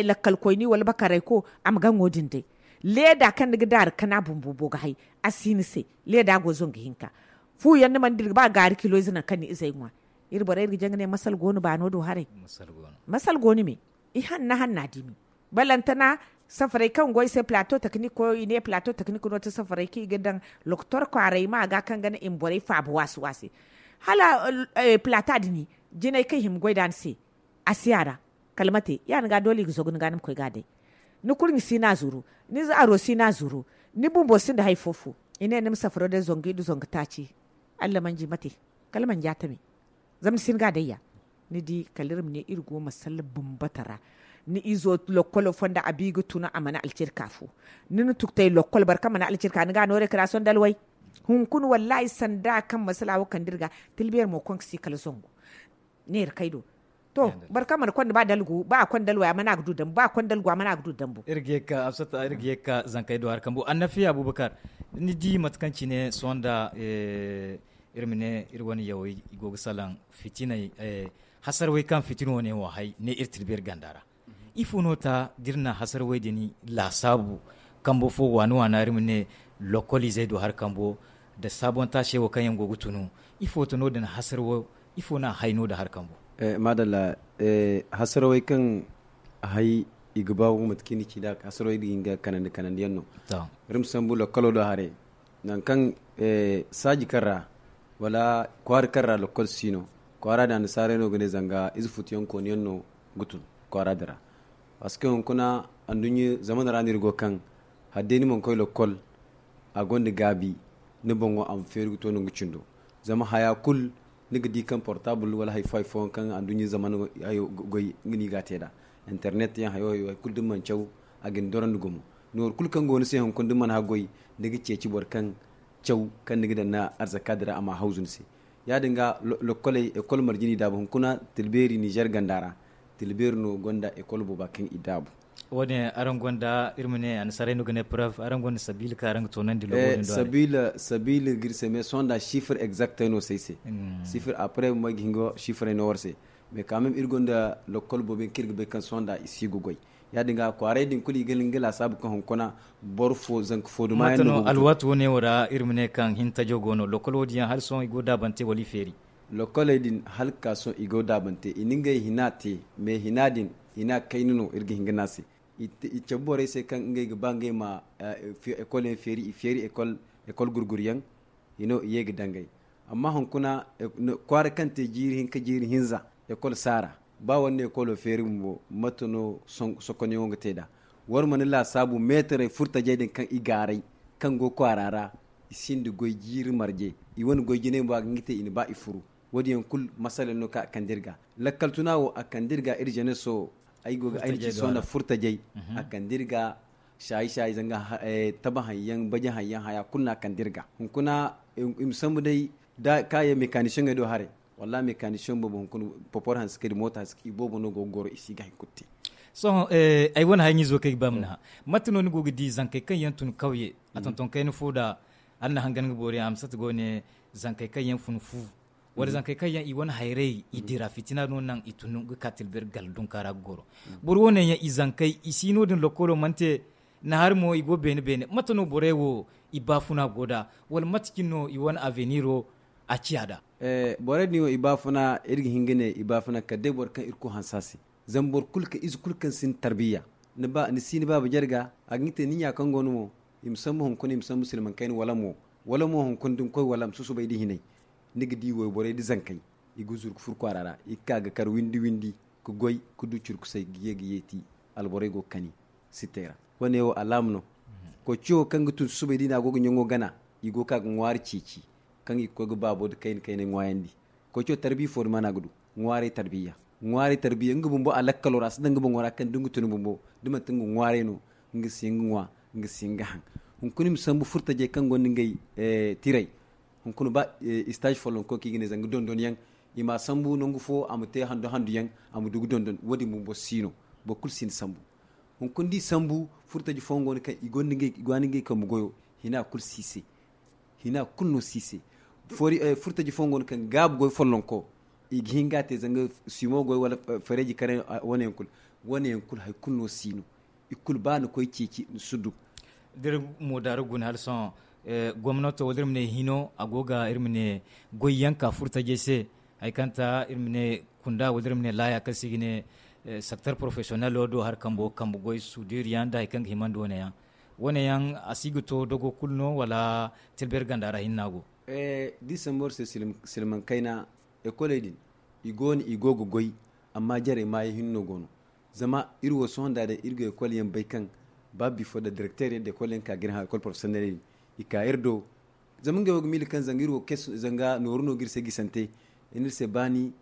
lakkalkoyni wala bakarayko a ma gaŋo din day. Leeda kaŋ ni ga daari kana bumbo bo ga hay a si ni se. Leeda go zangu hinka. Fu yaŋ ni mana dira ba gaari kilo ize nangu kaŋ ni izey ŋwa. Iri borey iri ga jaŋ ga ne masala go no baano do haray. Masala go ni me i hanna hanna dimi. Balantana safaray kaŋ go i se plato teknik koyo i ne plato teknik no ti safaray kaŋ i ga daŋ loktor kwaaray ma ga kaŋ ga naŋ i ma borey faabu waasi waasi. Hala plata din jinay kaŋ i hima goy nd'a ni se. A si a ra kala mate ya- din ga doole i ga zagu ni ga ni ma koy ga a day. Ni kurɲe si no a zuru. Ni zaaro si no a zuru. Ni bumbo sinda hari fo fo. I ne ni ma safaro day zangu i da zangu taaci. Allamanji mate kala manji a tame. Zama ni si ni ga a day ya. Ni di kala iri ma ne iri go masalla bambata ra. Ni izo lokkolo fonda a bi ga tuna a mana alcirka fo. Ni na tuktay lokkol boro kaŋ mana alcirka ni ga a no rekrason dalway. Hunkuna wallaahi sanda kaŋ masala wo kande iri ga. Tilbeeri mo konka si kala zangu. Neera kay do. To boro kaŋ mana konda ba dalgu ba a konda dalway a mana ga du dambu ba a konda dalgu a mana ga du dambu. Iri ga ye ga ka zankey do hari kambu annafiya abubakar. Ni di mate kaŋ cine sohõ nda iri ma ne iri wane yawey i go ga salaŋ fitiney. Hasarwey kaŋ fitina wane wo hay ne iri tilbeeri ganda ra. Ifo no ta da iri na hasarwey din laasaabu kambo fo waani waana iri ma ne lokol izey do hari kambo nda saabontaase wo kaŋ yaŋ go ga tunu? Ifo ta no din hasarwo ifo no a hay no din hari kambo? Maadalla. Hasarwey kaŋ hay i ga ba gumo mate kaŋ i na ci nd'a hasarwey din ga hin ga kanandi kanandi yaŋ no. Iri ma sambu lokolo do haray nangu kaŋ saaji kaŋ ra wala kwaara kaŋ ra lokol si no kwaara din annasaarey no ga ne zanga ize futuyaŋ kooniyaŋ no ga tun kwaara din ra. Parce que hunkuna anduɲɲa zamana ra no iri go kaŋ hala day ni mana koy lokol a gonda gaabi ni boŋo a ma feeri ga to nangu cindo. Zama haya kulu ni ga di kaŋ portable wala hari fo hari fooyaŋ kaŋ anduɲɲa zamana goy nga no i ga a te nd'a. Internet yaŋ hayo hayo hari kulu da ni mana caw a ga ni dorandi gumo. Nooru kulu kaŋ go ni se hunkuna da ni mana haggoy ni ga ceeci boro kaŋ caw kaŋ ni ga daŋ ni arzaka din ra a ma hawzu ni se. Ya- din ga lokkoley ekol marje no i daabu hunkuna tilbeeri nizer ganda ra. Tilbeeri no gonda ekol booba kaŋ i daabu. Wo- din araŋ gonda iri ma ne annasaarey no ga ne preuve araŋ gonda sabiila kaŋ araŋ ga toonandi logo din do? Sabiila ga iri se mais sohõ nda sifir exactey no si ay se. Sifir après mo ay ga hin ga sifirey no war se. Mais quand même iri gonda lokkol boobo yaŋ kaŋ iri ga bay kaŋ sohõ nda i si ga goy. Ya- din ga kwaarey din kulu i ga hin ga laasaabu kaŋ hunkuna boro fo zanka fo duma yaŋ no go ga tun. Alwaati wo- ne wo ra iri ma ne kaŋ hintajo go no lokkol wo- din yaŋ hala sohõ i go daabante wala i feeri? Lokkoley din hala ga ka sohõ i go daabante i na ngey hina te. Mais hina din hina kayna no iri ga hin ga ne a se. I cabe borey se kaŋ ngey ga ba ngey ma ekol yaŋ feeri i feeri ekol gurguryaŋ. I no i ye ga dangay. Amma hunkuna kwaara kaŋ te jiiri hinka jiiri hinza ekol si a ra. Ba wala ne ekolo feeri bumbo mate no sokonyaŋo ga te nd'a? War mana laasaabu meetarey furtajey din kaŋ i gaaray kaŋ go kwaara ra i sinda goy jiiri marje. I wane goy jinay mo a ga hin ga te i na ba i furu. Wo- din yaŋ kulu masala yaŋ no kaŋ a kande iri ga. Lakkal tuna wo a kande iri ga iri jeneso. Ay go ga ay na ci sohõ nda furtajey a kande iri ga. Saayi saayi zanga taba haŋ yaŋ baje haŋ yaŋ haya kulu no a kande iri ga hunkuna. I ma sambu day da kaayaŋ mekanisiyeŋey do haray. Wallaahi mekanisiyeŋ boobo hunkuna popor hanse kay da moota hanse kay i boobo no go ga goro i si ga hari kulu te. Sohõ ay wane haya ɲizo kaŋ ay ga ba ma ni hã, mate no ni go ga di zankey kaŋ yaŋ tun kawye a tonton kayna fo da hala ni na hangan ga boori a ma sata go ne zankey kaŋ yaŋ fun fu wala zankey kaŋ yaŋ i wane hayrey i dira fitina no naŋ i tun ga ka tilbir gal dunka ra ga goro. Boro wane yaŋ i zankey i si no- din lokkolo mana te. Nahar mo i go beene beene mate no borey wo i baafuna go nd'a wala mate cine no i wane aveniro a ciya nd'a? Borey din wo i baafuna iri ga hin ga ne i baafuna kala day boro kaŋ irkoy hanse a se. Zama boro kulu kaŋ ize kulu kaŋ sinda tarbiyya ni si ni baaba jarga a ga hin ga te ni ɲa kaŋ go no mo i ma sambu hunkuna i ma sambu silmaŋ kayna wala mo wala mo hunkuna da ni koy wala ma susubay nda hinay. Ni ga di wayborey nda zankey i ga zuru ga furo kwaara ra i ga ka ga kar windi windi ga goy ga du curkusay ga ye ga yeeti. Alborey go ga kani sittey ra. Wane wo alaama no. Koociyo kaŋ ga tun susubay da i ne a go ga ɲaŋo gana i go ga ka ga ŋwaari ceeci kaŋ i ga koy ga baabo nda kayna kaynay ŋwaayandi. Koociyo tarbiya fo ni mana ga du ŋwaaray tarbiya. Ŋwaaray tarbiya nga bumbo a lakkalo ra a si daŋ nga boŋo ra kaŋ da nga tun bumbo da manti nga ŋwaaray no nga si hin ga ŋwa nga si hin ga haŋ. Hunkuna i ma sambu furtajey kaŋ gonda ngey tiray. Hunkuna ba istaazi follonko kaŋ i ga ne zanga dondon yaŋ i ma a sambu nangu fo a ma te handu handu yaŋ a ma du ga dondon wo- din bumbo si no. Boro kulu si ni sambu. Hunkuna da i sambu furtaji fooyaŋ go no kaŋ i ga ni ngey kambe goyo hina kulu si i se. Hina kulu no si i se. Furtaji fooyaŋ go no kaŋ gaabu goy follonko i ga hin ga a te zanga simo goy wala fareeji kare. Wane yaŋ kulu wane yaŋ kulu hari kulu no si no. I kulu ba ni koy ceeci ni si du. Da iri mo daaru guna hala sohõ gomnato wala iri ma ne hino a go ga iri ma ne goy yaŋ ka furtajey se. Hari kaŋ ta iri ma ne kunda wala iri ma ne laaya kaŋ se i ga ne sekter porofesiyonel wo do hari kambo kambe goy suudiiri yaŋ nda hari kaŋ ga himandi wane yaŋ. Wane yaŋ a si ga to dogo kulu no wala tilbir ganda ra hinne no a go? Da i sambu iri se silmaŋ kayna ekoley din i go no i go ga goy. Amma jarey maayaŋ hinne no go no. Zama iri wo sohõ nda day iri ga ekol yaŋ bay kaŋ ba bifo nda direkteer yaŋ da ekol yaŋ ka ga iri hã ekol porofesiyonel din i ka iri do. Zama ngey wo ga miila kaŋ zanga iri wo zanga nooru no ga iri se gisante. I ne iri se baani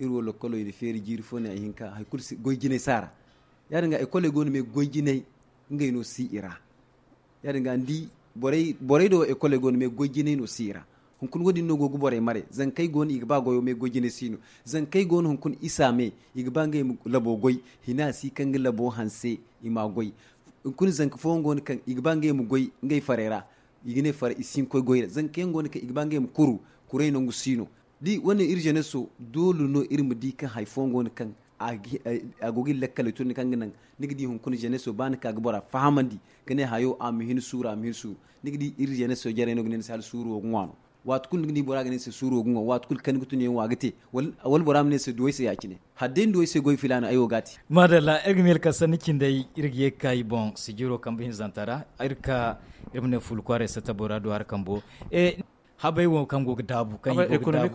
iri wo lokkolo i na feeri jiiri fo ne hari hinka hari kulu goy jinay si a ra. Ya- din ga ekoley go no me goy jinay ngey no si i ra. Ya- din ga ni di borey do wo ekoley go no me goy jinay no si i ra. Hunkuna wo- din no go ga borey mare zankey go no i ga ba goyo me goy jinay si no. Zankey go no hunkuna isa me i ga ba ngey ma labo goy hina si kaŋ ga labo hanse i ma goy. Hunkuna zanka fooyaŋ go no kaŋ i ga ba ngey ma goy ngey farey ra. I ga ne fara i si hin ga koy goy ra zanka yaŋ go no kaŋ i ga ba ngey ma kuru. Kuray nangu si no. Da wane iri jeneso doole no iri ma di kaŋ hari fooyaŋ go no kaŋ a go ga iri lakkaley tun kaŋ ga naŋ ni ga di hunkuna jeneso ba ni ka ga bora fahamandi ga ne hayo a ma hin suuru a ma hin suuru. Ni ga di iri jeneso jarey no ga ne ni se hala suuru wo ga ŋwa no. Waati kulu ni ga di bora ga ne ni se suuru wo ga ŋwa waati kulu kaŋ ni ga tun yaŋ wo a ga te. Wala bora ma ne ni se duw'ay se ya- cine hala day ni duw'ay se goy filaana ay wo ga a te. Maadalla iri ga miila kaŋ sanni cindey iri ga ye ga ka i boŋ sijiro kambe hinzanta ra. Iri ga ka iri ma ne fuula kwaaray satta bora du hari kambo. Habay wo kaŋ go ga daabu kaŋ i go ga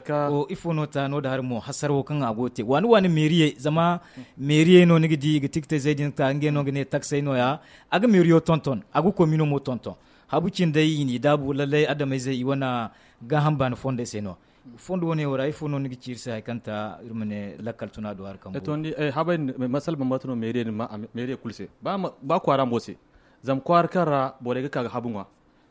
daabu. Ifo no ta no- din hari mo hasara wo kaŋ a go ga te waani waani meeriyey zama meeriyey no ni ga di i ga tikitayzey din ta ngey no ga ne taksey no- ya. A ga meeriyo tonton a ga koomino mo tonton. Habu cindey i n'i daabu lallay adamayzey i wane gaaham baani fondey se no. Fondo wane wo ra ifo no ni ga ci iri se hari kaŋ ta iri ma ne lakkal tuna do hari kaŋ go. Habay din masala bambata no meeriyey kulu se. Ba kwaara mo se zama kwaara kaŋ ra borey ga ka ga habu ŋwa.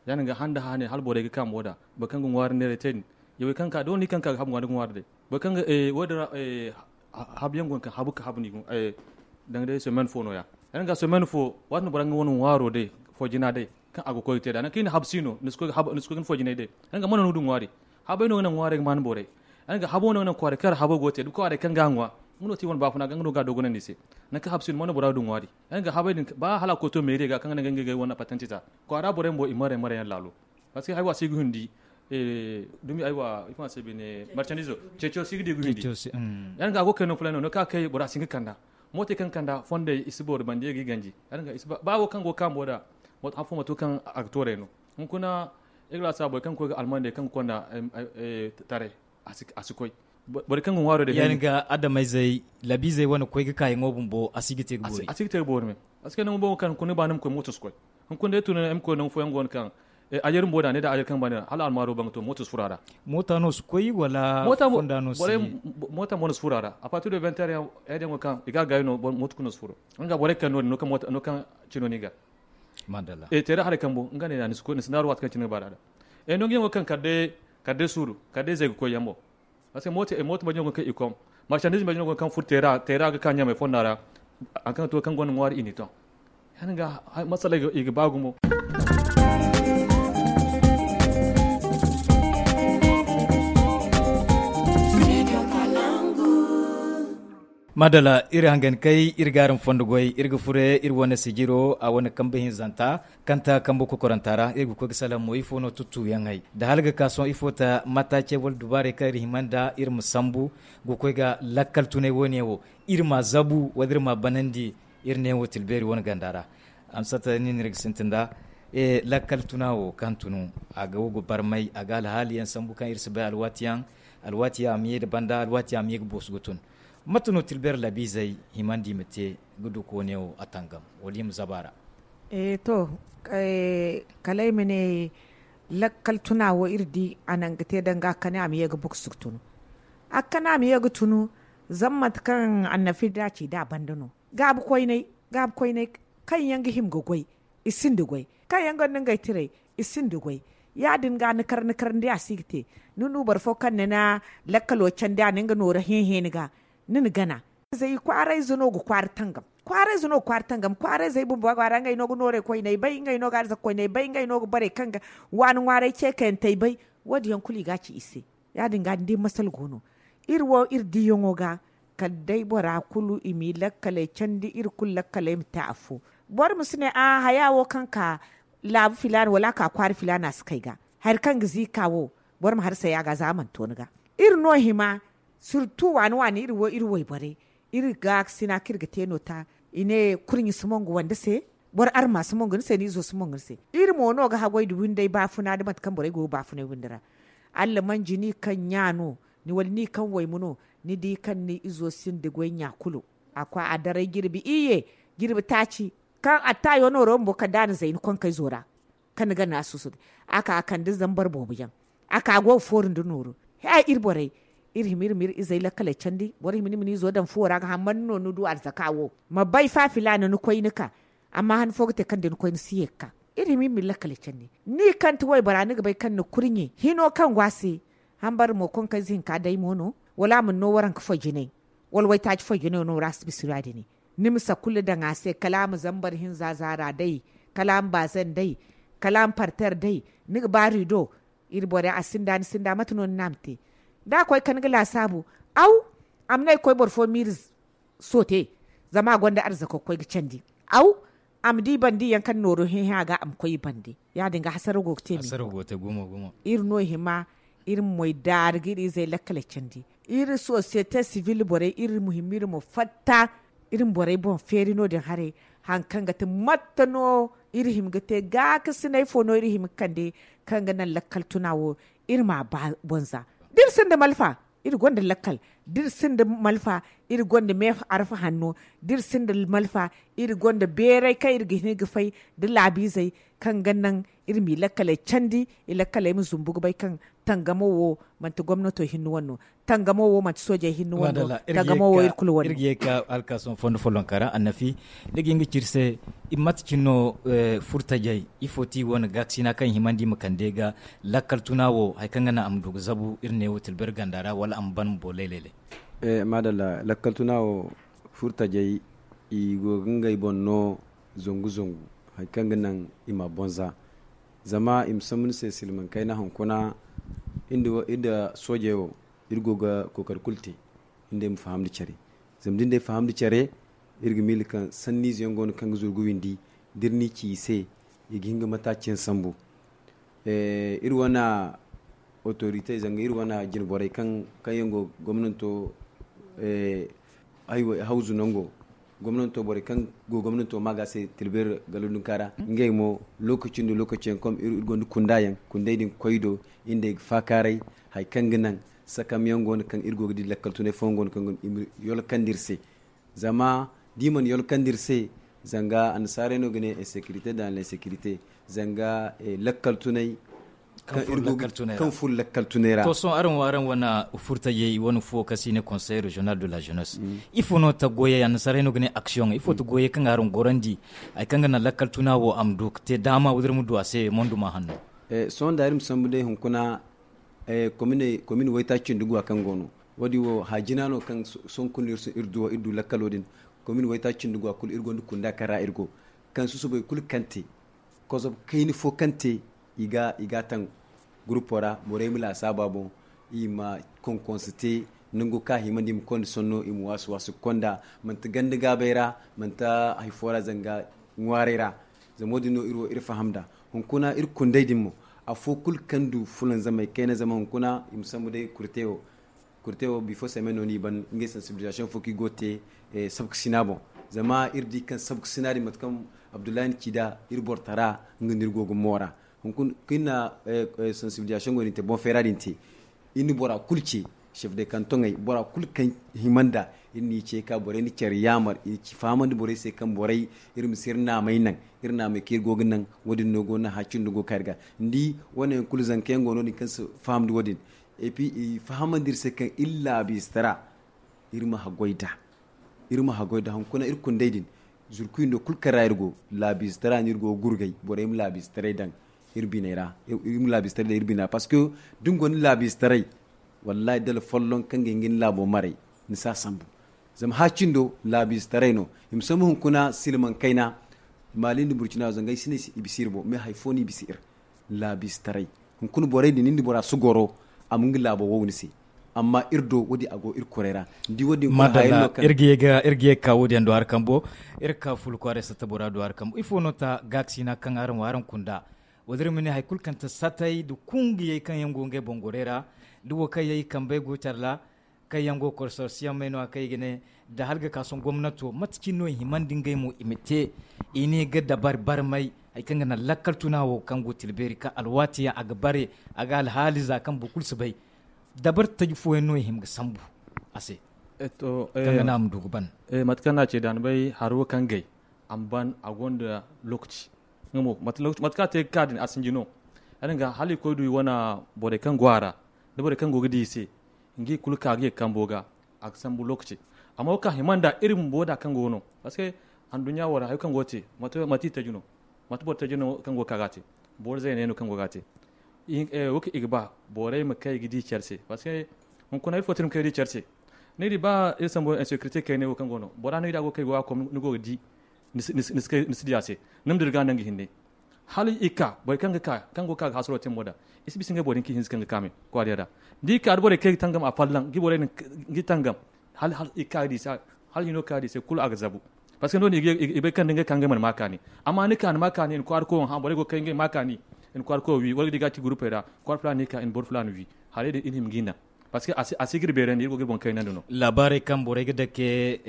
Ya- din ga handa hane hala borey ga ka mo da boro kaŋ ga ŋwaari neeray te din. Yawey kaŋ ga ka dooni kaŋ ga ka ga habu ŋwa ni ga ŋwaari day boro kaŋ ga wo- din ra habu yaŋ go no kaŋ habu ga habu no i ga danga day semaine fo no- ya. Ya- din ga semaine fo waati no bora ga nga wane ŋwaaro day fo jina day kaŋ a ga koy ga te nd'a nangu kaŋ i na habu si no ni si koy ga ni fo jinay day. Ya- din ga mana no ga du ŋwaari. Habay no ga naŋ ŋwaarey ga ma ni borey. Ya- din ga habo no ga naŋ kwaarey kaŋ ra habo go ga te da kwaarey kaŋ ga a ŋwa. Nga no ti wane baafuna ga nga no ga a dogonandi i se. Nangu kaŋ habu si no mana bora ga du ŋwaari. Ya- din ga habay din ba hala a koy to meeriye ga kaŋ ga naŋ ga ngey ga wane patenti ta kwaara borey bumbo i maray maray yaŋ laalo. Parceque haywa si ga hundi dumi aywa ifo a se bine marchandizo ceeco si ga di ga hundi. Ya- din ga a go ga kay no fulay no no kaŋ a kay bora si hin ga kanda. Mootey kaŋ ga kanda fondey i si boori bande ga i ganji. Ya- din ga ba wo kaŋ go ga ka mo da moto han fo mato kaŋ a ga tooray no. Hunkuna igla sa borey kaŋ ga koy ga almandey kaŋ ga konda taray. A si koy. Borey kaŋ ga ŋwaaro day ya- din ga adamayzey labiizey wane koy ga kaayaŋo bumbo a si ga te ga boori. A si ga te ga boori me. Parceque nangu boŋo kaŋ hunkuna ni ba ni ma koy mooto si koy. Hunkuna day tun ay ma koy nangu fooyaŋ go no kaŋ ajari bumbo da ne da ajari kaŋ ba ne hala almaaro baŋ ga to mooto si furo a ra. Moota no si koy wala fonda no si? Moota mo no si furo a ra a partir de vingt heures yaŋ ay daŋ go kaŋ i ga a gaayi no mooto kulu no si furo. Nga borey kaŋ no- din no kaŋ cino no i ga. Teera haray kambo nga ne ni si naaru waati kaŋ cine ga ba da a daŋ. Nangu yaŋo kaŋ kala day suuru kala day zay ga koy yaŋ mo. Parce que mooto mooto mbaji no go ga kaŋ i kom, marsandiize mbaji no go ga kaŋ furo teera teera ga ka ɲamay fonda ra. Hari kaŋ ga to kaŋ gonda ŋwaari i n'i ton. Ya- din ga masala i ga ba gumo. Maadala iri hangan kay iri ga araŋ fondo goy iri ga furo iri wane sijiro a wane kambe hinzanta, kaŋ ta kambe kokoranta ra iri ga koy ga salaŋ mo ifo no tuttuyaŋey da hala ga ka sohõ ifo ta mataace wala dubaarey kaŋ iri hima nda iri ma sambu ga koy ga lakkal tunay wo- ne wo, iri ma a zabu wala iri ma a banandi iri ne wo tilbeeri wane ganda ra. Amsata nin iri ga sintin da lakkal tuna wo kaŋ tunu a ga wo ga barmay a ga alhaali yaŋ sambu kaŋ iri si bay alwaati yaŋ, alwaati yaŋ a ma ye nda banda alwaati yaŋ a ma ye ga boosu ga tun. Mate no tilbeeri laabiizey himandi i ma te ga du ka wo- ne wo a tangam wala i ma zaba a ra? To, kala ay ma ne lakkal tuna wo iri di a naŋ ga te danga kane a ma ye ga boosu ga tunu. A ga kane a ma ye ga tunu. Zama mate kaŋ annafi da a ci da a banda no gaabu koyney, gaabu koyney kaŋ yaŋ ga hima ga goy, i sinda goy. Kaŋ yaŋ gonda ngey tiray, i sinda goy. Ya- din ga ni kar ni kar ni di a si ga te. Ni du boro fo kaŋ ni na lakkalo candi a na nga nooru hẽ hẽ ni ga, ni na gana. Zay kwaarayze no ga kwaara tangam. Kwaarayze no ga kwaara tangam kwaarayzey bumbo a go a ra ngey no ga noorey koyney bay ngey no ga arzaka koyney bay ngey no ga borey kaŋ ga waani ŋwaaray ceekayantey bay. Wo- din yaŋ kulu i ga a ci i se. Ya- din ga ni di masala go no iri wo iri diyaŋo ga. Kala day bora kulu i m'i lakkaley candi iri kulu lakkaley ma te afo. Boro ma si ne a haya wo kaŋ ka laabu filaana wala a ka kwaara filaana si kay ga. Hari kaŋ ga ziika wo boro ma harsay a ga za a mana to ni ga. Iri no hima sirtu waani waani iri wo iri wayborey. Iri ga sina kaŋ iri ga te no ta i ne kurɲe si mongu wande se. Boro arma si mongu ni se ni izo si mongu ni se. Iri mo no ga haggoy nda windey baafuna nda mate kaŋ borey go ga baafunay windi ra. Allamanji ni kaŋ ɲa no ni wala ni kaŋ wayma no, ni di kaŋ ni izo sinda goy ɲa kulu. A koy a daray jirbi iyye, jirbi taaci. Kaŋ attaayo nooro bumbo kala da a na zay ni konkayzo ra kaŋ ni ga naŋ a suusu din. A ka a kande zambar boobo yaŋ. A ka go ga fooru nda nooru. He iri borey, iri hima iri ma iri izey lakkaley candi boro hima ni ma ni izo daŋ fuwo ra ga hammandi no ni du arzaka wo. Ma bay fa filaana ni koy ni ka. Amma han fo ga te kaŋ da ni koy ni si ye ga ka. Iri hima iri ma iri lakkaley candi. Ni kaŋ ti waybora ni ga bay kaŋ ni kurɲe hino kaŋ go a se. Hambare mo konkayze hinka day mo no wala a mana no waranka foy jinay, wala waytaaci foy jinay no ra a si bisa ya- din. Ni ma sakulla daŋ a se kala a ma zambar hinza zaara day, kala a ma baazan day, kala a ma parter day. Ni ga ba rido. Iri borey a sinda ni sinda mate no ni ne a ma te? Da a koy kande ga laasaabu. Aw, a ma ne ay koy boro fo miiri soote. Zama a gonda arzako ga koy ga candi. Aw, a ma di bandi yaŋ kaŋ nooro hẽ hẽ a ga a ma koy i bande. Ya- din ga hasaraw go ga te me. Iri no hima iri ma moy daari ga iri izey lakkaley candi. Iri sosiyete sibil borey iri ma hima iri ma fatta. Iri ma borey boŋ feeri no- din haray. Hari kaŋ ga ti matte no iri hima ga te gaakasinay fo no iri hima ga kande kaŋ ga naŋ lakkal tuna wo iri m'a ba boŋ za. Da iri sinda malfa, iri gonda lakkal. Da iri sinda malfa, iri gonda me arfa hanno. Da iri sinda malfa, iri gonda beeray kaŋ iri ga hin ga fay da laabiizey kaŋ ga naŋ iri m'i lakkaley candi. I lakkaley ma zumbu ga bay kaŋ tangamo wo manti gomnato hinne wane no. Tangamo wo manti soojey hinne wane no. Tangamo wo iri kulu wane no. Iri ga ye ga ka alkaason fondo follonka ra annafi, ni ga hin ga ci iri se mate cine no? Furtajey, ifo ti wane gaakasina kaŋ i himandi i ma kande ga lakkal tuna wo hari kaŋ ga naŋ a ma du ga zabu iri ne wo tilbir ganda ra wala a ma ban bumbo lay lay lay? Maadalla lakkal tuna wo furtajey, i go ga ngey boŋ no zangu zangu hari kaŋ ga naŋ i m'a boŋ za. Zama i ma sambu ni se silmaŋ kayna hunkuna iri nda soojey wo, iri go ga kookari kulu te iri nd'ey ma faham nda care. Zama da iri nd'ey faham nda care, iri ga miila kaŋ sanniize yaŋ go no kaŋ ga zuru ga windi. Da iri n'i ci i se, i ga hin ga mataaci yaŋ sambu. Iri wane otorite zanga iri wane jine borey kaŋ yaŋ go gomnanto hawzu nango, gomnanto borey kaŋ go gomnanto ma ga se tilbeeri galodunka ra ngey mo, lokaci nda lokaci yaŋ kom iri gonda kunda yaŋ kundey din ga koy i do. Iri nd'ey ga faakaaray hari kaŋ ga naŋ sakam yaŋ go no kaŋ iri go ga di lakkal tunay fooyaŋ go no kaŋ i ma yolkandi iri se. Zama da i mana yolkandi iri se, zanga annasaarey no ga ne insekirite da annasekirite. Zanga lakkal tunay kaŋ furo lakkal tunay ra. To sohõ araŋ wo araŋ wane furtajey wane fuwo kaŋ se i ne konsey regional de la jeunesse, ifo no ta goyey annasaarey no ga ne aksiyoŋ ifo ta goyey kaŋ ga araŋ gorandi hari kaŋ ga naŋ lakkal tuna wo a ma du ga te daama wala iri ma du a se monduma hanno? Sohõ da iri ma sambu day hunkuna Komin waytaaci cindi guwa kaŋ go no, wo- din wo haajina no kaŋ sohõ kulu no iri du lakkalo din. Komin waytaaci cindi guwa kulu iri gonda kunda kaŋ ra iri go, kaŋ susubay kulu kaŋ te kozob kayna fo kaŋ te, i ga taŋ gurupo ra, borey ma laasaaba boŋ, i ma konkonse te, nango kaŋ a himandi i ma konda sonno i ma waasu waasu ga konda, manti ganda gaabay ra, manti hari fo ra zanga ŋwaaray ra. Zama wo- din no iri wo iri faham nd'a. Hunkuna iri kundey din mo, afo kulu kaŋ du fulanzamey kayna zama hunkuna i ma sambu day kurte wo. Kurte wo bifo semaine no no i ban ngey sensibilisation fo kaŋ i go ga te sabkasina boŋ. Zama iri di kaŋ sabkasina din mate kaŋ abdullahi na ci nd'a, iri borotara nga no iri go ga moora. Hunkuna kaŋ iri na sensibilisation go din te boŋ feera din te, iri na bora kulu ce, chef de kantoŋey, bora kulu kaŋ hima nd'a, iri n'i ce ka borey na care yaamar i fahamandi borey se kaŋ borey, iri ma si iri naamey naŋ. Iri naamey kaŋ iri go ga naŋ, wo- din no go naŋ haacindo go ga ka iri ga. Ni di wane yaŋ kulu zanka yaŋ go no- din kaŋ si fahamndi wo- din. Et puis i fahamandi iri se kaŋ iri laabiizatara iri ma haggoy nd'a. Iri ma haggoy nd'a hunkuna iri kundey din, zurku windo kulu kaŋ ra iri go, laabiizatara no iri go ga gurgay borey ma laabiizataray daŋ iri biney ra. Iri ma laabiizataray daŋ iri biney ra parce que da ni gonda laabiizataray, wallahi dala folloŋ kaŋ ga hin ga ni laabo maray, ni si a sambu. Zama haacindo laabiizataray no. I ma sambu hunkuna silmaŋ kayna, maali nda burcina zanga ay si ne i bisa iri boŋ mais hari fo no i bisa iri. Laabiizataray. Hunkuna borey din ni nda bora si goro, a ma nga laabo wow ni se. Amma iri do wo- din a go iri kuray ra. Ni di wo- din kulu hayaŋ no kaŋ iri ga ye ga ka wo- din yaŋ do hari kambo. Iri ga ka fulu kwaaray satta bora do hari kambo ifo no ta gaakasina kaŋ araŋ wo araŋ kunda? Wo- din iri ma ne hari kulu kaŋ ta satay nda kungiyey kaŋ yaŋ go ngey boŋ gorey ra, da wo kaŋ yaŋ i kambey go care ra, kaŋ yaŋ go ga kor sorsiyaŋ may no- ya kaŋ i ga ne, da hala ga ka sohõ gomnato mate cine no i himandi ngey mo i ma te. I ne ga dabari barmay hari kaŋ ga naŋ lakkal tuna wo kaŋ go ga tila beeri kaŋ alwaati yaŋ a ga bare, a ga alhaali za kaŋ boro kulu si bay. Dabari taji fooyaŋ no i hima ga sambu a se kaŋ ga naŋ a ma du ga ban. Mate kaŋ no a ce da ni bay hari wo kaŋ gay a ma ban a gonda lookaci. Nga mo mate kaŋ a te ga ka din a sinji no. Ya- din ga hala i koy du i wane borey kaŋ go a ra, da borey kaŋ go ga di i se, nga i kulu ka ga ye kambo ga. A ga sambu lookaci. Amma wo kaŋ a hima nd'a iri bumbo da kaŋ go no, parce que anduɲɲa wo ra hari kaŋ go ga te, mate i taji no? Mate boro taji no kaŋ go ga ka ga a te? Boro zeeney no kaŋ go ga a te. Wo kaŋ i ga ba borey ma kay ga di care se parce que hunkuna ifo te no ma kay ga di care se? Ni di ba iri sambu insécurité kayna wo kaŋ go no, bora no i da a go ga kay ga wa kom ni go ga di. Ni si di a se. Ni ma dira ga nangu hinne. Hala i ka borey kaŋ ga ka kaŋ go ga ka ga hasaro te mo da, i si bisa ngey boro din kaŋ i hinza kaŋ ga ka me kwaariya da. Da i ka da borey kaŋ i ga tangam a fallan ga borey din ga i tangam. Hala i ka ga di i se hala hino ga ka ga di i se kulu a ga zabu. Parce que no- din i bay kaŋ da ngey ka ngey mana ma kaani. Amma ni ka ni ma kaani i na kwaari koy wo hã borey go ga kay ngey ma kaani. I na kwaari koy wo wi wala ga di ga ci gurupey ra kwaari fulaani ni ka i na boro fulaani wi. Haray din i na hima ga i naŋ. Parce que a si ga iri beerandi iri go ga iri boŋ kaynandi no. Laabaarey kaŋ borey ga dake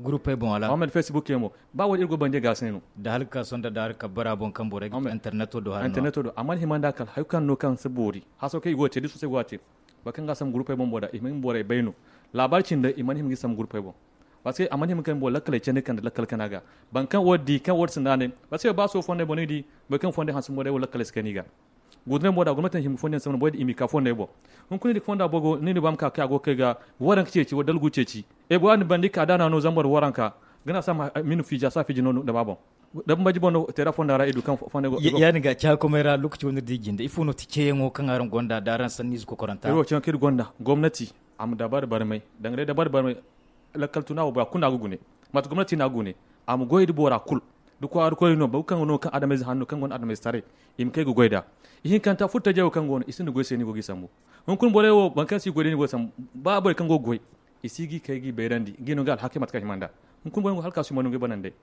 gurupey boŋ wala? Mohammed facebook yaŋ mo ba wo- din iri go ga bandi ga a se no. Da hala ga ka sonda da hala ga kabbara boŋ kaŋ borey ga interneto do hari no. Amma ni hima nda kala hari kaŋ no kaŋ si boori haso kaŋ i go ga te da i soosay go ga te. Boro kaŋ ga a sambu gurupey boŋ bo da i ma borey bay no. Laabaari cindi i mana hima ga i sambu gurupey boŋ. Parce que a mana hima ga kaŋ boro lakkaley candi kande lakkal kana ga. Boro kaŋ wo- din di kaŋ wo- din sinda ne. Parce que ba sohõ fondey boŋ no i di boro kaŋ fondey hanse mo day wo lakkaley si kani ga. Gudurey mo da gomnati na hima ga fondo yaŋ sambu boro din i ma i ka fondey boŋ. Hunkuna ni di ga fonda bogo ni na ba ma ka kay a go ga kay ga waranka ceeci wala dalgu ceeci. E bora din banda i ka da no a no zambar waranka ga na a si a ma fiiji a si a fiiji no dama boŋ. Da bambanji boŋ no teera fonda ra i du kaŋ fondey go. Ya- din ga caakomey ra lookaci wo no iri di jinde ifo no ti ceeyaŋo kaŋ araŋ gonda da araŋ sanniize kokoranta? Iri wo ceeyaŋo kaŋ iri gonda gomnati a ma dabari barmay danga day dabari barmay. Lakkal tuna wo bora kulu no a ga gune. Mate gomnati no a ga gune. A ma goy nda bora kulu. Da kwaara koyey no boro kaŋ ga no kaŋ adamayze hanno kaŋ gonda adamayze taray i ma kay ga goy nd'a. Ihinkanta furtajey wo kaŋ go no i sinda goy se no i go ga i sambu. Hunkuna borey wo boro kaŋ si goy day no i go ga sambu. Ba borey kaŋ go ga goy i si ga i kay ga i bayrandi ga i no ga alhakey mate kaŋ a hima nd'a. Hunkuna borey wo hala ka si hima no ngey banandey.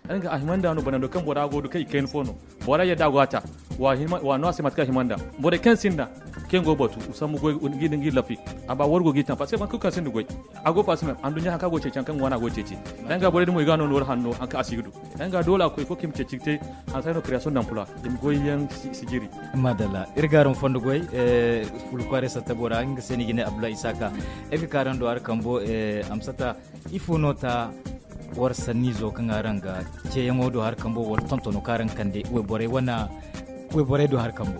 Ay ga a hima nd'a no banando kaŋ bora go ga kaŋ i kayna fo no. Bora yadda a go a ta. Wa no a se mate kaŋ a hima nd'a. Borey kaŋ sinda kaŋ yaŋ go ga batu sambu goy ga i lafi. A ba war go ga i taŋ parce que boro kulu kaŋ sinda goy a go ga faasima anduɲɲa hari kaŋ a go ga ceeci hari kaŋ ga waana a go ga ceeci. Ay ga borey din mo i ga no noori hanno hari kaŋ a si ga du. Ay ga doole a koy fo kaŋ i ma ceeci ga te hanse no création d'emploi i ma goy yaŋ si jiri. Madalla iri ga araŋ fondo goy. Fulu kwaaray satta bora nga se no i ga ne abdullahi isaaka. Iri ga ka araŋ do hari kambo amsata. Ifo no ta war sanniizo kaŋ araŋ ga ceeyaŋo do hari kambo wala tontono kaŋ araŋ ga kande wayborey wane wayborey do hari kambo?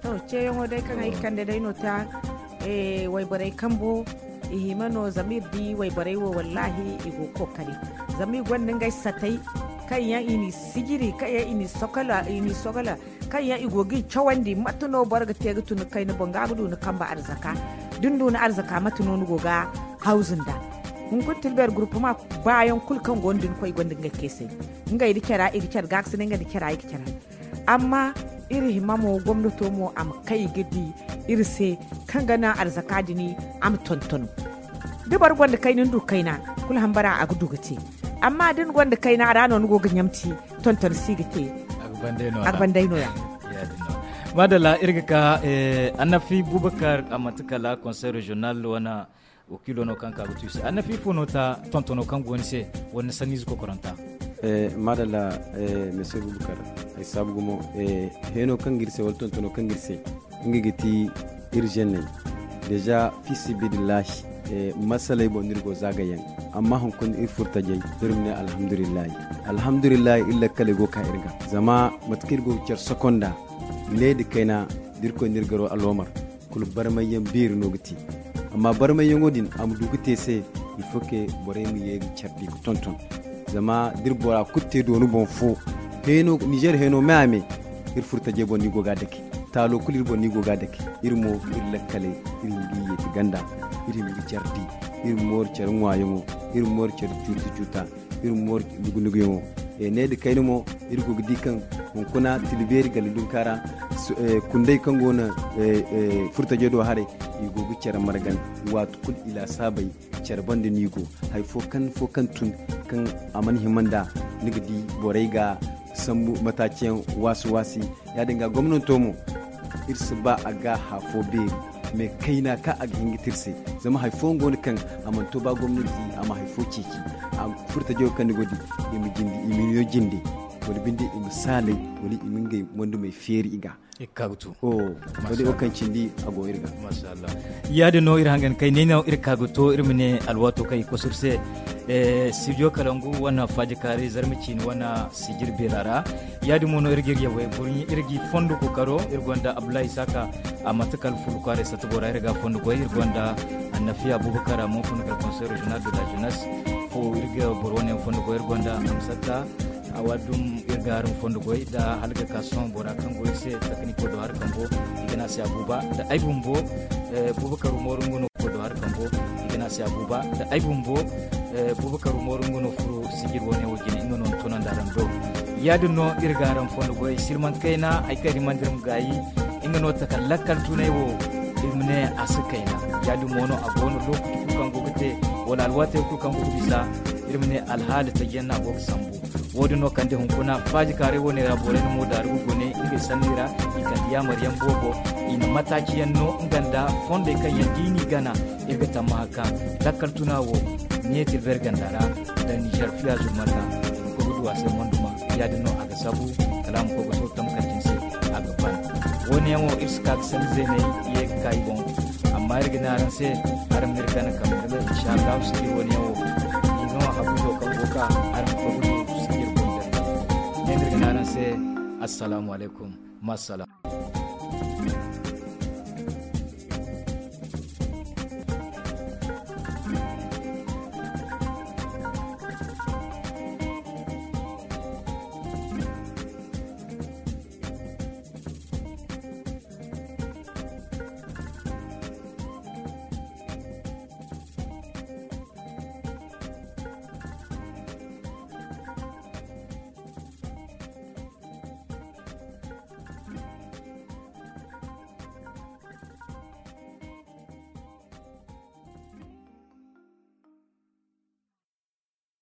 To ceeyaŋo day kaŋ ay ga kande day no ta wayborey kambo. I hima no zama iri di wayborey wo wallahi i go ga kookari. Zama i gonda ngey satay kaŋ yaŋ i n'i sijiri kaŋ yaŋ i n'i sokola i n'i sokola. kaŋ yaŋ i go ga i cawandi, mate no boro ga te ga tun ga kayna boŋ ga ga du ni kambe arzaka. Da ni du ni arzaka, mate no ni go ga hawzu nda? Hunkuna tilbeeri gurupuma baayaŋ kulu kaŋ go no da ni koy gonda ngey keesay, ngey da cara i ga care gaakasinay, ngey da cara i ga care. Amma iri hima mo, gomnato mo a ma kay ga di iri se, kaŋ ga naŋ arzaka din a ma tonton. Da boro gonda kayna ni du kayna, kulu hambara a ga du ga te. Amma da ni gonda kayna ra no ni go ga ɲamti, tonton si ga te. A ga banday no ya. Madalla, iri ga ka annafi bubakar a manti kala conseil regional wane wakiilo no kaŋ ka ga tu i se. Annafi fo no ta tontono kaŋ go ni se, wala ni sanniize kokoranta? Madalla, mese bubakar, ay saabu gumo. Heeno kaŋ ga iri se wala tontono kaŋ ga iri se, nga ga ti iri zenney. Deja, fi sibidillahi, masaley boŋ no iri go zaagayaŋ. Amma hunkuna iri furtajey, iri ma ne alhamdulillahi. Alhamdulillahi, iri lakkaley go ga ka iri ga. Zama mate kaŋ iri go ga care sokonda, ne da kayna, da irkoy na iri garo aloomar, kulu barmayyaŋ beeri no ga te. Amma barmayyaŋo din a ma du ga te se, il faut que borey ma ye ga care di ga tonton. Zama da iri bora kulu te dooni boŋ fo, nizer heeno me a me, iri furtajey boŋ no i go ga a dake. Taalo kulu iri boŋ no i go ga a dake. Iri mo, iri lakkaley, iri ma ga i yeeti ganda, iri ma ga care di, iri ma mooru care ŋwaayaŋo, iri ma mooru care cuuta-cuuta, iri ma mooru nugu-nuguyaŋo. Ne da kayna mo, iri go ga di kaŋ hunkuna tilbeeri galley dunka ra, kundey kaŋ go no furtajey do haray, i go ga care margan. Waati kulu i laasaabey care banda no i go. Hari fo kaŋ fo kaŋ tun, kaŋ a mana hima nd'a, ni ga di borey ga sambu mataaciyaŋ waasi-waasi. Ya-din ga gomnanto mo, iri si ba a ga hã fo beeri, mais kayna kaŋ a ga hin ga te iri se. Zama hari fooyaŋ go no kaŋ a mana to ba gomnanti a ma hari fo ceeci. Furtajo kaŋ ni go ga di, i ma jinde, i ma niyo jinde, wala binde i ma saalay, wala i ma ngey wandumey feeri i ga. Iri ga ka ga tu. To, da wo kaŋ cindi a go iri ga. Masha Allah. Ya-din no iri hangan kay ne no iri ka ga to, iri ma ne alwaato kaŋ i kosu iri se. Studio Kalangu wane Faaji Kaari, Zarma Ciini wane sijir beera ra. Ya-din mo no iri ga iri yawey burɲi, iri ga i fondo kookaro, iri gonda Abdullahi Isaka, a manti kala Fulu kwaaray satta bora, iri ga a fondo goy, iri gonda Annafi Abubakar, a mo fondo kala Conseil Régional de la Jeunesse fo, iri ga boro wane fondo goy, iri gonda Amsata, a waadum iri ga araŋ fondo goy da hala ga ka sohõ bora kaŋ go iri se, takaniko do hari kambo, i ga ne a se Abuba, da ay bumbo, Bubakar Umaru nga no koy do hari kambo, i ga ne a se Abuba, da ay bumbo, Bubakar Umaru nga no furo sijir wane wo jine, nga no ni tunandi araŋ do. Ya-din no iri ga araŋ fondo goy, silman kayna, hari kaŋ iri mana dira ma gaayi, nga no taka lakkal tunay wo, iri ma ne a si kayna. Ya-din mo no a go no, lokaci kulu kaŋ go ga te, wala alwaatey kulu kaŋ go ga bisa, iri ma ne alhaali tajiyaŋ no a go ga sambu. Wo-din no kande hunkuna Faaji Kaaray wane ra borey na mo daaru ga gune ngey sanni ra, i kande yaamar yaŋ boobo, i na mataaci yaŋ no nga nda fondey kaŋ yaŋ da i n'i gana, iri ga tammaha kaŋ lakkal tuna wo ne Tilber ganda ra, da Nizer fiya zurmata, i ma koy ga du a se monduma. Ya-din no a ga sabu kala a ma koy ga to tamkar din se, a ga ban. Wo-ne yaŋ wo iri si ka ga sanni zeeney ye ga ka i boŋ. Amma iri ga ne araŋ se, araŋ ma iri gana kambe, inshallahu sijir wo-ne yaŋ wo, i no habuzo kaŋ go ga ka, araŋ ma koy ga du sijir boŋ. Ne no iri ga ne araŋ se, assalamu alaykum, ma salaam.